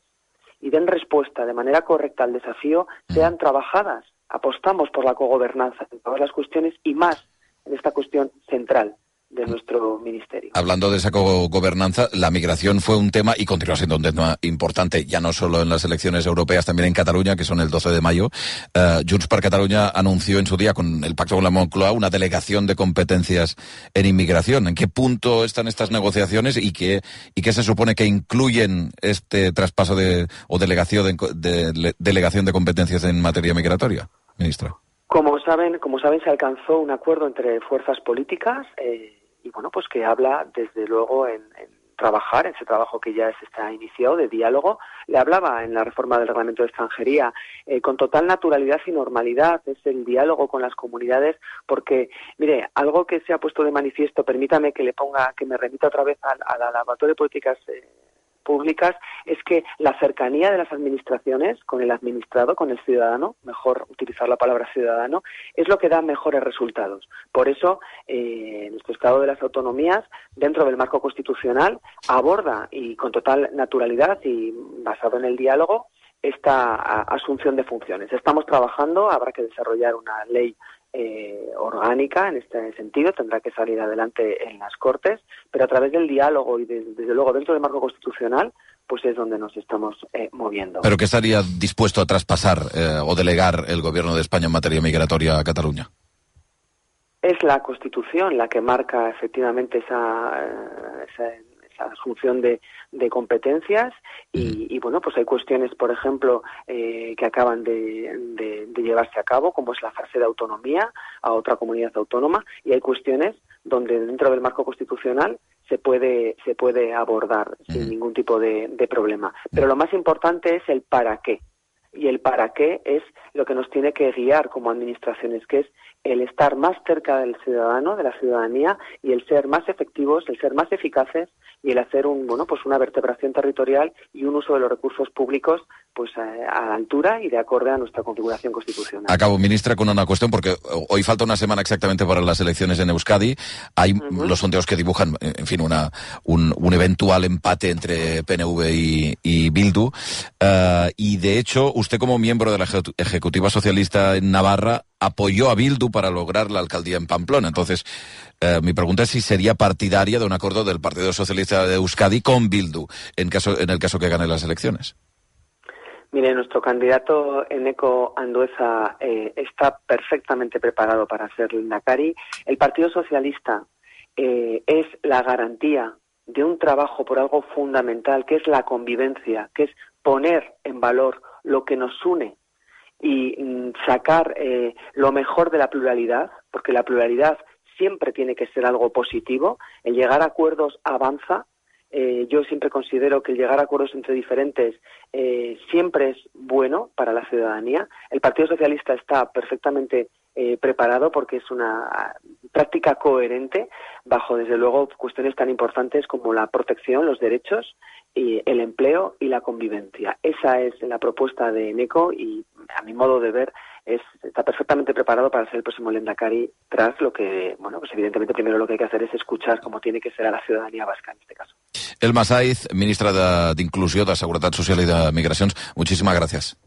y den respuesta de manera correcta al desafío, sean trabajadas. Apostamos por la cogobernanza en todas las cuestiones y más en esta cuestión central de nuestro ministerio. Hablando de esa cogobernanza, la migración fue un tema y continúa siendo un tema importante, ya no solo en las elecciones europeas, también en Cataluña, que son el 12 de mayo. Junts per Catalunya anunció en su día, con el pacto con la Moncloa, una delegación de competencias en inmigración. ¿En qué punto están estas negociaciones y qué se supone que incluyen este traspaso o delegación de competencias en materia migratoria, ministra? Como saben, se alcanzó un acuerdo entre fuerzas políticas que habla, desde luego, en trabajar, ese trabajo que ya se está iniciado de diálogo. Le hablaba en la reforma del reglamento de extranjería con total naturalidad y normalidad, es el diálogo con las comunidades, porque, mire, algo que se ha puesto de manifiesto, permítame que me remita otra vez al Laboratorio de Políticas Públicas, es que la cercanía de las administraciones con el administrado, con el ciudadano, mejor utilizar la palabra ciudadano, es lo que da mejores resultados. Por eso, nuestro Estado de las Autonomías, dentro del marco constitucional, aborda, y con total naturalidad y basado en el diálogo, esta asunción de funciones. Estamos trabajando, habrá que desarrollar una ley orgánica en este sentido, tendrá que salir adelante en las Cortes, pero a través del diálogo y desde luego dentro del marco constitucional, pues es donde nos estamos moviendo. ¿Pero qué estaría dispuesto a traspasar o delegar el gobierno de España en materia migratoria a Cataluña? Es la Constitución la que marca efectivamente esa asunción de competencias y bueno, pues hay cuestiones, por ejemplo, que acaban de llevarse a cabo, como es la fase de autonomía a otra comunidad autónoma, y hay cuestiones donde dentro del marco constitucional se puede abordar sin ningún tipo de problema. Pero lo más importante es el para qué. Y el para qué es lo que nos tiene que guiar como administraciones, que es el estar más cerca del ciudadano, de la ciudadanía, y el ser más efectivos, el ser más eficaces, y el hacer una vertebración territorial y un uso de los recursos públicos pues a la altura y de acorde a nuestra configuración constitucional. Acabo, ministra, con una cuestión, porque hoy falta una semana exactamente para las elecciones en Euskadi. Hay los sondeos que dibujan, en fin, un eventual empate entre PNV y Bildu. Y, de hecho, usted como miembro de la Ejecutiva Socialista en Navarra apoyó a Bildu para lograr la alcaldía en Pamplona. Entonces, mi pregunta es si sería partidaria de un acuerdo del Partido Socialista de Euskadi con Bildu, en el caso que gane las elecciones. Mire, nuestro candidato Eneko Andueza está perfectamente preparado para ser lehendakari. El Partido Socialista es la garantía de un trabajo por algo fundamental, que es la convivencia, que es poner en valor lo que nos une y sacar lo mejor de la pluralidad, porque la pluralidad siempre tiene que ser algo positivo. El llegar a acuerdos avanza. Yo siempre considero que el llegar a acuerdos entre diferentes siempre es bueno para la ciudadanía. El Partido Socialista está perfectamente preparado porque es una práctica coherente bajo, desde luego, cuestiones tan importantes como la protección, los derechos, y el empleo y la convivencia. Esa es la propuesta de Eneko y, a mi modo de ver, está perfectamente preparado para ser el próximo lehendakari, tras lo que, pues evidentemente primero lo que hay que hacer es escuchar cómo tiene que ser a la ciudadanía vasca en este caso. Elma Saiz, ministra d'Inclusió, de Seguretat Social i de Migracions, muchísimas gracias.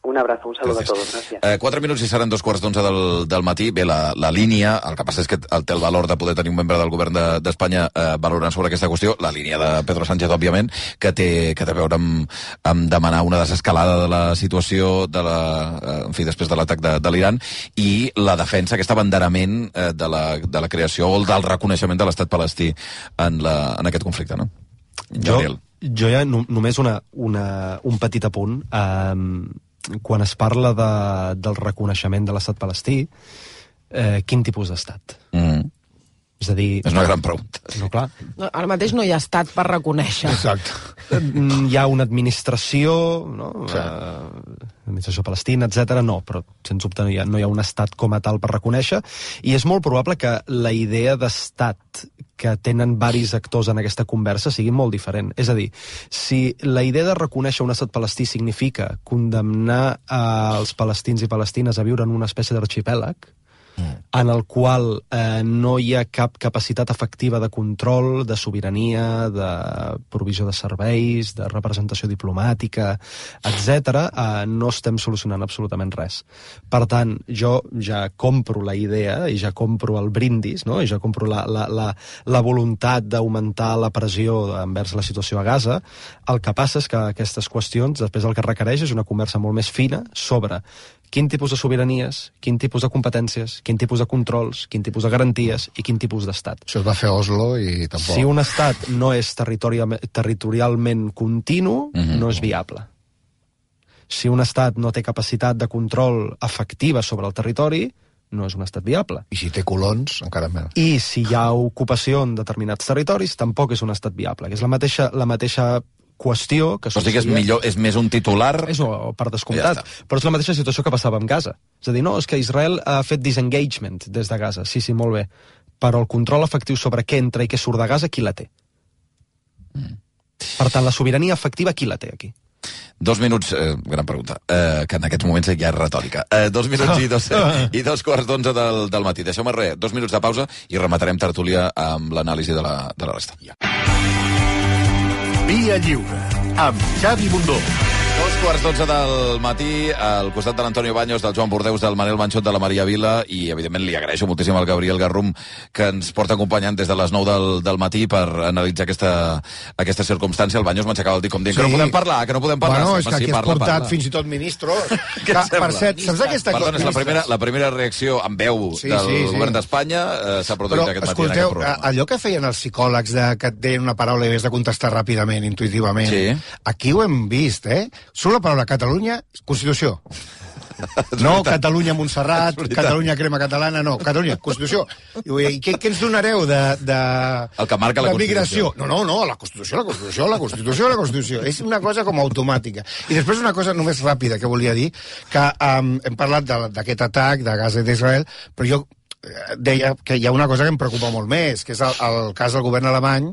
Un abrazo, un saludo a todos, gràcies. 4 minuts i seran 2:15 del matí. Bé, la línia, el que passa és que té el valor de poder tenir un membre del govern d'Espanya valorant sobre aquesta qüestió, la línia de Pedro Sánchez, òbviament, que té a veure amb demanar una desescalada de la situació després de l'atac de l'Iran, i la defensa, aquest abanderament de la creació o del reconeixement de l'estat palestí en aquest conflicte, no? Jo ja només un petit apunt. Quan es parla del reconeixement de l'estat palestí, quin tipus d'estat? És a dir... És una gran pregunta. No, clar. No, ara mateix no hi ha estat per reconèixer. Exacte. Hi ha una administració, no? Sí. Administració palestina, etc. No, però sens dubte no hi ha un estat com a tal per reconèixer, i és molt probable que la idea d'estat que tenen varis actors en aquesta conversa sigui molt diferent. És a dir, si la idea de reconèixer un estat palestí significa condemnar els palestins i palestines a viure en una espècie d'arxipèlag, en el qual no hi ha cap capacitat efectiva de control, de sobirania, de provisió de serveis, de representació diplomàtica, etc., no estem solucionant absolutament res. Per tant, jo ja compro la idea i ja compro el brindis, no? I ja compro la voluntat d'augmentar la pressió envers la situació a Gaza. El que passa és que aquestes qüestions, després el que requereix és una conversa molt més fina sobre quin tipus de sobiranies, quin tipus de competències, quin tipus de controls, quin tipus de garanties i quin tipus d'estat. Això es va fer a Oslo i tampoc... Si un estat no és territorialment continu, no és viable. Si un estat no té capacitat de control efectiva sobre el territori, no és un estat viable. I si té colons, encara més. I si hi ha ocupació en determinats territoris, tampoc és un estat viable, que és la mateixa qüestió que... Però sí que és més un titular... És per descomptat, però és la mateixa situació que passava amb Gaza. És a dir, no, és que Israel ha fet disengagement des de Gaza. Sí, molt bé. Però el control efectiu sobre què entra i què surt de Gaza, qui la té? Per tant, la sobirania efectiva, qui la té aquí? 2 minuts, gran pregunta, que en aquests moments ja és retòrica. 2 minuts i 2:15 del matí. Deixeu-me 2 minuts de pausa i rematarem tertúlia amb l'anàlisi de la resta. Via Lliure, amb Xavi Bundó. 2:12 del matí, al costat de l'Antonio Baños, del Joan Bordeus, del Manel Manxot, de la Maria Vila, i evidentment li agraeixo moltíssim al Gabriel Garrum, que ens porta acompanyant des de les 9 del matí per analitzar aquesta circumstància. El Baños m'aixecava el dit com dient que no podem parlar, que no podem parlar. Bueno, és que aquí has portat fins i tot ministros. Per cert, saps aquesta cosa? Perdona, és la primera reacció en veu del govern d'Espanya s'ha produït aquest matí en aquest programa. Allò que feien els psicòlegs que et deien una paraula i havies de contestar ràpidament, intuïtivament, aquí ho hem vist, Surt la paraula Catalunya, Constitució. No, Catalunya Montserrat, Catalunya Crema Catalana, no, Catalunya, Constitució. I què ens donareu de... El que marca la Constitució. No, la Constitució. És una cosa com automàtica. I després una cosa només ràpida que volia dir, que hem parlat d'aquest atac de Gaza i d'Israel, però jo deia que hi ha una cosa que em preocupa molt més, que és el cas del govern alemany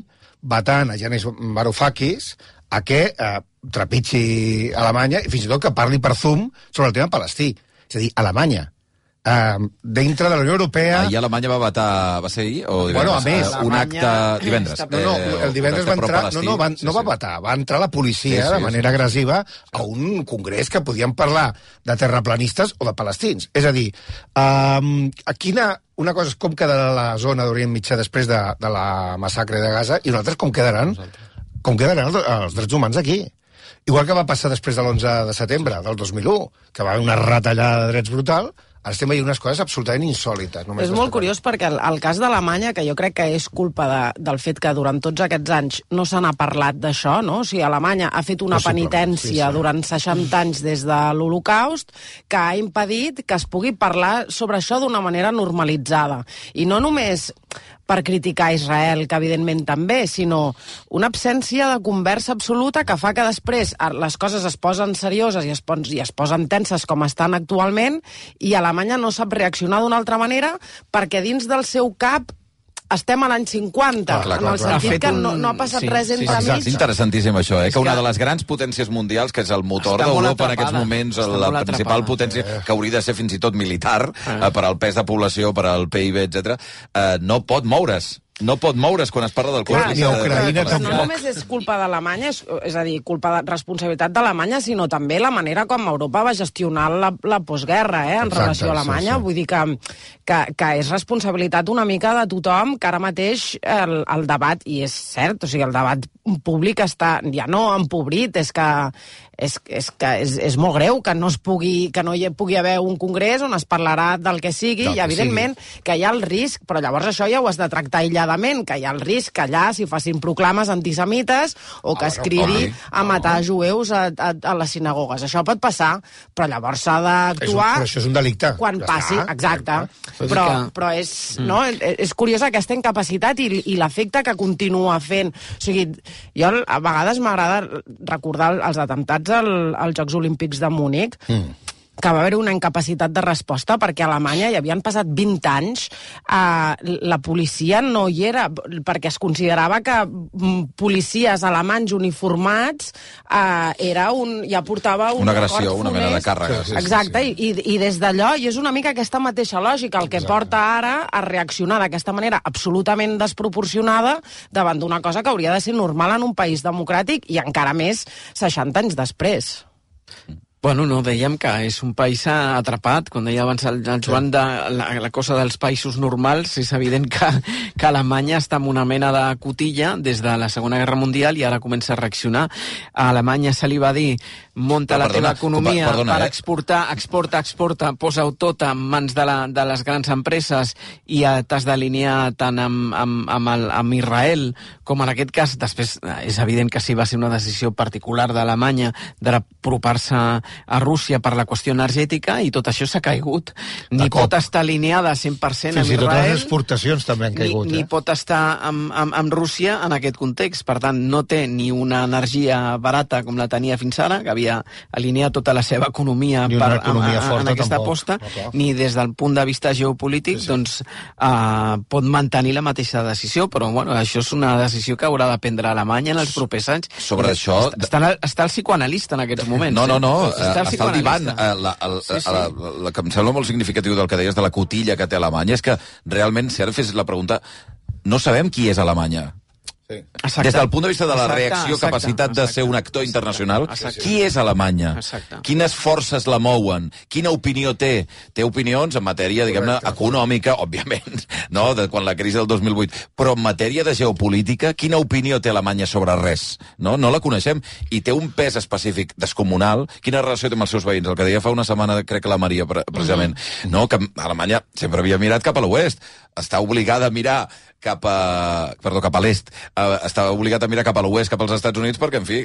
vetant a Yanis Varoufakis a que trepitgi Alemanya i fins i tot que parli per Zoom sobre el tema palestí. És a dir, Alemanya, dintre de la Unió Europea... Ahir Alemanya va vetar... Va ser ahir o divendres? Bueno, a més... Un acte... Divendres. No, el divendres va entrar... No va vetar, va entrar la policia de manera agressiva a un congrés que podien parlar de terraplanistes o de palestins. És a dir, una cosa és com quedarà la zona d'Orient Mitjà després de la massacre de Gaza i una altra és com quedaran els drets humans aquí. Igual que va passar després de l'11 de setembre del 2001, que va haver una retallada de drets brutal, ara estem veient unes coses absolutament insòlites. És molt curiós perquè el cas d'Alemanya, que jo crec que és culpa del fet que durant tots aquests anys no se n'ha parlat d'això, no? O sigui, Alemanya ha fet una penitència durant 60 anys des de l'Holocaust que ha impedit que es pugui parlar sobre això d'una manera normalitzada. I no només per criticar Israel, que evidentment també, sinó una absència de conversa absoluta que fa que després les coses es posen serioses i es posen tenses com estan actualment i Alemanya no sap reaccionar d'una altra manera perquè dins del seu cap estem a l'any 50, en el sentit que no ha passat res entre mig. És interessantíssim això, que una de les grans potències mundials, que és el motor d'Europa en aquests moments, la principal potència, que hauria de ser fins i tot militar, per al pes de població, per al PIB, etc., no pot moure's. No pot moure's quan es parla del conflicte. No només és culpa d'Alemanya, és a dir, responsabilitat d'Alemanya, sinó també la manera com Europa va gestionar la postguerra, en relació a Alemanya. Vull dir que és responsabilitat una mica de tothom, que ara mateix el debat, i és cert, o sigui, el debat públic està ja no empobrit, és que és molt greu que no hi pugui haver un congrés on es parlarà del que sigui, i evidentment que hi ha el risc, però llavors això ja ho has de tractar aïlladament, que hi ha el risc que allà s'hi facin proclames antisemites o que es cridi a matar jueus a les sinagogues. Això pot passar, però llavors s'ha d'actuar... Però això és un delicte. Quan passi, exacte. Però és curiosa aquesta incapacitat i l'efecte que continua fent. O sigui, jo a vegades m'agrada recordar els atemptats als Jocs Olímpics de Múnich, que va haver una incapacitat de resposta perquè a Alemanya hi havien passat 20 anys, la policia no hi era, perquè es considerava que policies alemanys uniformats ja portava una agressió, una mena de càrrega. Exacte, i des d'allò, i és una mica aquesta mateixa lògica el que porta ara a reaccionar d'aquesta manera absolutament desproporcionada davant d'una cosa que hauria de ser normal en un país democràtic i encara més 60 anys després. Bueno, no, dèiem que és un país atrapat. Quan deia abans el Joan de la cosa dels països normals, és evident que Alemanya està en una mena de cotilla des de la Segona Guerra Mundial i ara comença a reaccionar. A Alemanya se li va dir munta la teva economia per exportar, exporta, posa-ho tot en mans de les grans empreses i t'has d'alinear tant amb Israel com en aquest cas. Després és evident que sí va ser una decisió particular d'Alemanya d'apropar-se a Rússia per la qüestió energètica i tot això s'ha caigut. Ni pot estar alineada 100% amb Israel. Fins i tot les exportacions també han caigut. Ni pot estar amb Rússia en aquest context. Per tant, no té ni una energia barata com la tenia fins ara, que havia alineat tota la seva economia en aquesta aposta, ni des del punt de vista geopolític pot mantenir la mateixa decisió, però bueno, això és una decisió que haurà de prendre Alemanya en els propers anys. Sobre això... Està el psicoanalista en aquests moments. No. Està al divan. El que em sembla molt significatiu del que deies de la cotilla que té Alemanya és que realment, si ara fes la pregunta, no sabem qui és Alemanya. Des del punt de vista de la reacció, capacitat de ser un actor internacional, qui és Alemanya? Quines forces la mouen? Quina opinió té? Té opinions en matèria, diguem-ne, econòmica, òbviament, no? De quan la crisi del 2008, però en matèria de geopolítica, quina opinió té Alemanya sobre res? No la coneixem. I té un pes específic descomunal. Quina relació té amb els seus veïns? El que deia fa una setmana, crec que la Maria, precisament, no? Que Alemanya sempre havia mirat cap a l'oest. Està obligada a mirar cap a l'est. Està obligat a mirar cap a l'oest, cap als Estats Units, perquè, en fi,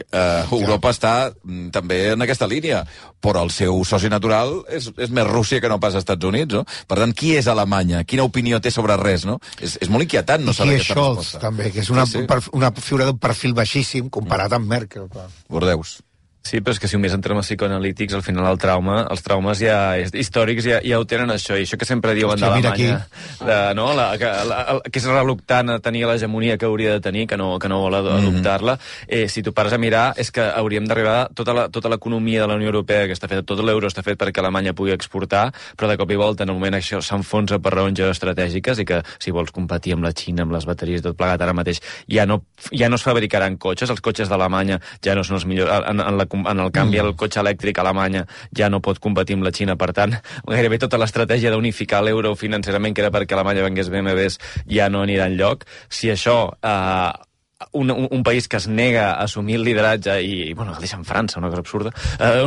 Europa està també en aquesta línia. Però el seu soci natural és més Rússia que no pas Estats Units, no? Per tant, qui és Alemanya? Quina opinió té sobre res, no? És molt inquietant no saber aquesta resposta. També, que és una figura d'un perfil baixíssim comparat amb Merkel. Bordeus. Sí, però és que si només entrem a psicoanalítics, al final els traumes històrics ja ho tenen això, i això que sempre diuen d'Alemanya, que és reluctant a tenir l'hegemonia que hauria de tenir, que no vol adoptar-la, si tu pares a mirar, és que hauríem d'arribar tota l'economia de la Unió Europea que està feta, tot l'euro està fet perquè Alemanya pugui exportar, però de cop i volta, en el moment això s'enfonsa per raons geoestratègiques, i que si vols competir amb la Xina, amb les bateries, tot plegat ara mateix, ja no es fabricaran cotxes, els cotxes d'Alemanya ja no són els millors, en el canvi el cotxe elèctric a Alemanya ja no pot competir amb la Xina, per tant gairebé tota l'estratègia d'unificar l'euro financerament, que era perquè Alemanya vengués BMWs, ja no anirà enlloc. Si això un país que es nega a assumir el lideratge i bueno, el deixa en França, una cosa absurda,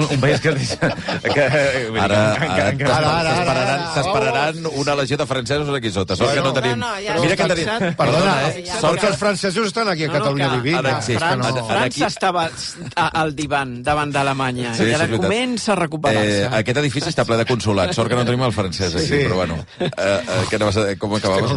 un país que es deixa s'esperaran una legió de francesos aquí sota, sort que no tenim mira que tenim, perdona, sort que els francesos estan aquí a Catalunya vivint. França estava al divan davant d'Alemanya i ara comença a recuperar-se. Aquest edifici està ple de consolats, sort que no tenim el francès aquí, però bueno, com acabaves?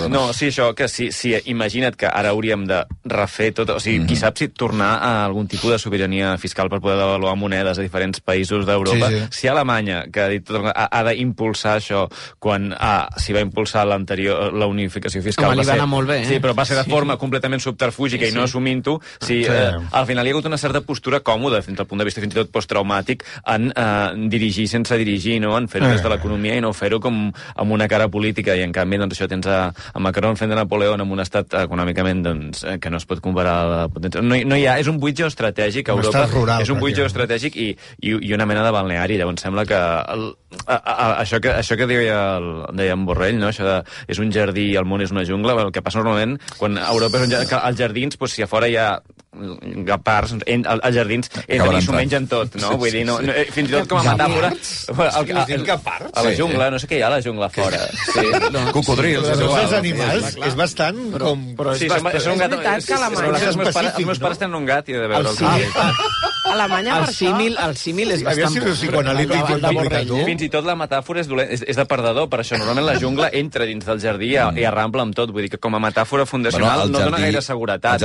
No, sí, això, que si imagina't que ara hauríem de refer tot, o sigui, qui sap si tornar a algun tipus de sobirania fiscal per poder devaluar monedes a diferents països d'Europa. Si Alemanya, que ha dit ha d'impulsar això, quan s'hi va impulsar l'anterior, la unificació fiscal, li va anar molt bé, sí, però va ser de forma completament subterfúgica i no assumint-ho, al final hi ha hagut una certa postura còmoda, fins al punt de vista fins i tot posttraumàtic, en dirigir sense dirigir, no? En fer-ho des de l'economia i no fer-ho com amb una cara política, i en canvi doncs això tens a Macron fent de Napoleó en un estat econòmicament doncs que no es pot comparar a la potència. No hi ha, és un buit geoestratègic a Europa, és un buit geoestratègic i una mena de balneari. Llavors sembla que això que deia en Borrell, no? Això de és un jardí i el món és una jungla, el que passa normalment quan a Europa és als jardins, doncs, si a fora hi ha parts, als jardins entren i s'ho mengen tot, no? Vull dir, fins i tot com a metàfora a la jungla, no sé què hi ha a la jungla fora. Cocodrils. Els animals és bastant com... Sí, és un gat. Els meus pares tenen un gat i he de veure'l. Alemanya, per això... El símil és bastant... Fins i tot la metàfora és de perdedor, per això. Normalment la jungla entra dins del jardí i arrampla amb tot. Vull dir que com a metàfora fundacional no dona gaire seguretat.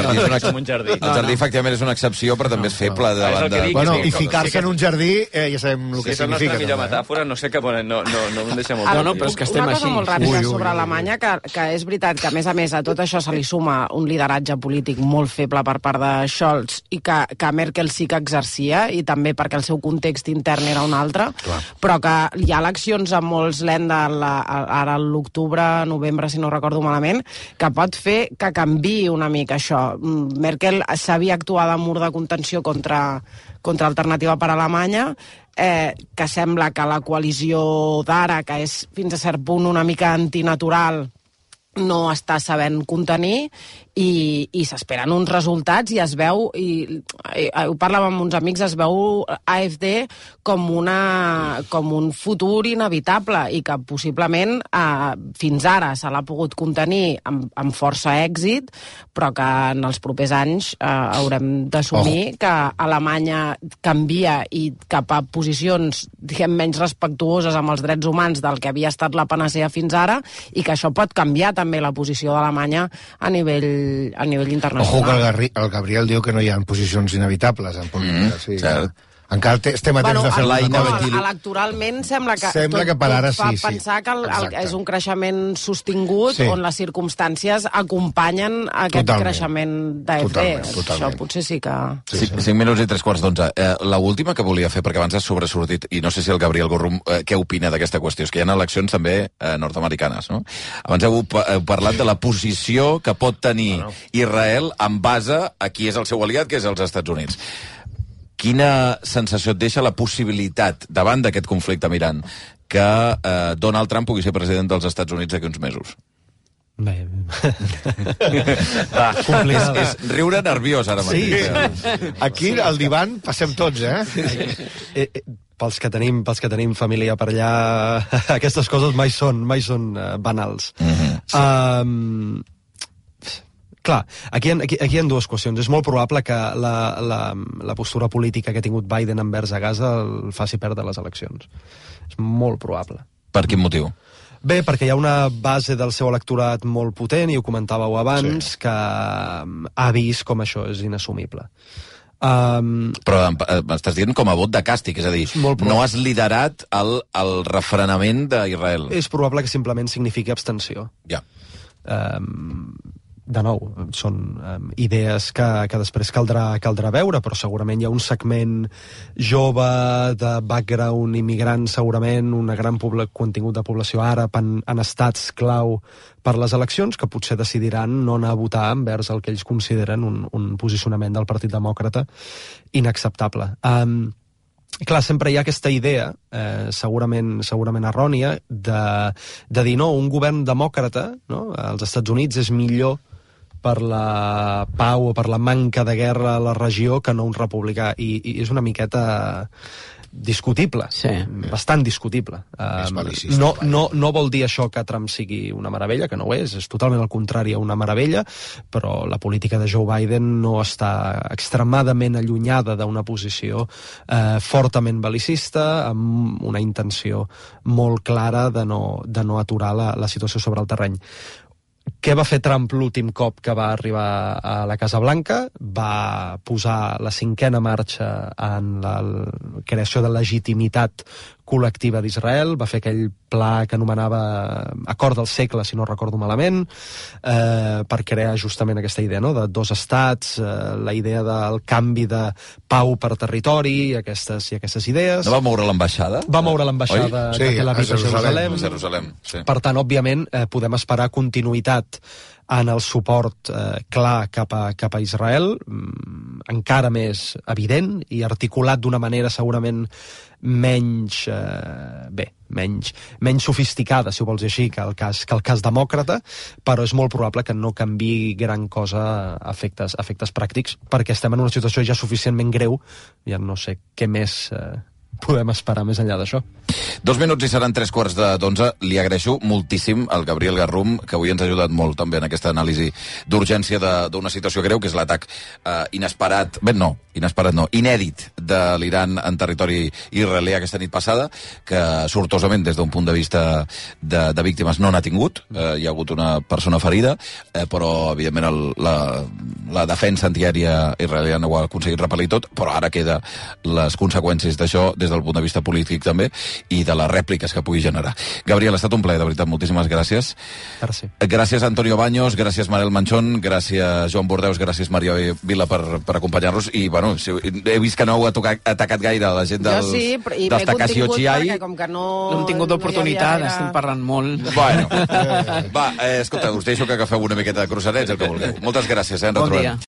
Un jardí. El jardí, efectivament, és una excepció, però també és feble. I ficar-se en un jardí, ja sabem el que significa. Si és la nostra millor metàfora, no sé què ponen, no em deixa molt clar. No, però és que estem així. Una cosa molt ràpida sobre Alemanya, que és veritat que, a més, a tot això se li suma un lideratge polític molt feble per part de Scholz i que Merkel sí que exercia, i també perquè el seu context intern era un altre, però que hi ha eleccions a molts Länder ara a l'octubre, novembre, si no recordo malament, que pot fer que canviï una mica això. Merkel s'havia actuat amb mur de contenció contra Alternativa per Alemanya, que sembla que la coalició d'ara, que és fins a cert punt una mica antinatural, no està sabent contenir i s'esperen uns resultats i es veu, i ho parlàvem amb uns amics, es veu AfD com un futur inevitable i que possiblement fins ara se l'ha pogut contenir amb força èxit, però que en els propers anys haurem d'assumir que Alemanya canvia i cap a posicions, diguem, menys respectuoses amb els drets humans del que havia estat la panacea fins ara, i que això pot canviar també la posició d'Alemanya a nivell internacional. Ojo que el Gabriel diu que no hi ha posicions inevitables en política. Encara estem a temps de fer electoralment sembla que per ara fa sí. pensar que és un creixement sostingut on les circumstàncies acompanyen aquest creixement d'AFD. Això potser sí que... 5 minuts i 3:15. L'última que volia fer, perquè abans has sobresortit, i no sé si el Gabriel Gorrum què opina d'aquesta qüestió, és que hi ha eleccions també nord-americanes, no? Abans heu parlat de la posició que pot tenir Israel en base a qui és el seu aliat, que és els Estats Units. Quina sensació et deixa la possibilitat, davant d'aquest conflicte amb Iran, que Donald Trump pugui ser president dels Estats Units d'aquí uns mesos? Bé... és riure nerviós ara mateix. Sí. Aquí al divan passem tots, Pels que tenim família per allà, aquestes coses mai són banals. Clar, aquí hi ha dues qüestions. És molt probable que la postura política que ha tingut Biden envers a Gaza el faci perdre les eleccions. És molt probable. Per quin motiu? Bé, perquè hi ha una base del seu electorat molt potent, i ho comentàveu abans, que ha vist com això és inassumible. Però m'estàs dient com a vot de càstig, és a dir, no has liderat el refrenament d'Israel. És probable que simplement signifiqui abstenció. Ja. De nou, són idees que després caldrà veure, però segurament hi ha un segment jove de background immigrant, segurament un gran contingut de població àrab en estats clau per les eleccions, que potser decidiran no anar a votar envers el que ells consideren un posicionament del Partit Demòcrata inacceptable. Clar, sempre hi ha aquesta idea, segurament errònia, de dir, no, un govern demòcrata, no, als Estats Units és millor per la pau o per la manca de guerra a la regió que no un republicà, i és una miqueta discutible, bastant discutible. No vol dir això que Trump sigui una meravella, que no ho és totalment al contrari a una meravella, però la política de Joe Biden no està extremadament allunyada d'una posició fortament belicista, amb una intenció molt clara de no aturar la situació sobre el terreny. Què va fer Trump l'últim cop que va arribar a la Casa Blanca? Va posar la 5ª marxa en la creació de legitimitat col·lectiva d'Israel, va fer aquell pla que anomenava Acord del segle, si no recordo malament, per crear justament aquesta idea, no?, de 2 estats, la idea del canvi de pau per territori, i aquestes idees. No va moure l'ambaixada? Va moure l'ambaixada de Tel Aviv a Jerusalem. Sí. Per tant, òbviament, podem esperar continuïtat en el suport clar cap a Israel, encara més evident i articulat d'una manera segurament menys sofisticada, si ho vols dir així, que el cas demòcrata, però és molt probable que no canviï gran cosa a efectes pràctics, perquè estem en una situació ja suficientment greu, ja no sé què més podem esperar més enllà d'això. 2 minuts i seran 3:15. Li agraeixo moltíssim al Gabriel Garrum, que avui ens ha ajudat molt també en aquesta anàlisi d'urgència d'una situació greu, que és l'atac inèdit de l'Iran en territori israelià aquesta nit passada, que sortosament des d'un punt de vista de víctimes no n'ha tingut. Hi ha hagut una persona ferida, però evidentment la defensa antiaèria israeliana ho ha aconseguit repel·lir tot, però ara queda les conseqüències d'això des del punt de vista polític també, i de les rèpliques que pugui generar. Gabriel, ha estat un plaer, de veritat, moltíssimes gràcies. Gràcies Antonio Baños, gràcies Manel Manchón, gràcies Joan Bordeus, gràcies Maria Vila per acompanyar-nos, i bueno, he vist que no heu atacat gaire a la gent dels Takashi Ochiai. Perquè com que no hem tingut oportunitat, estem parlant molt. Bueno, va, escolta, us deixo que agafeu una miqueta de cruzarets, el que vulgueu. Moltes gràcies, ens retrobem.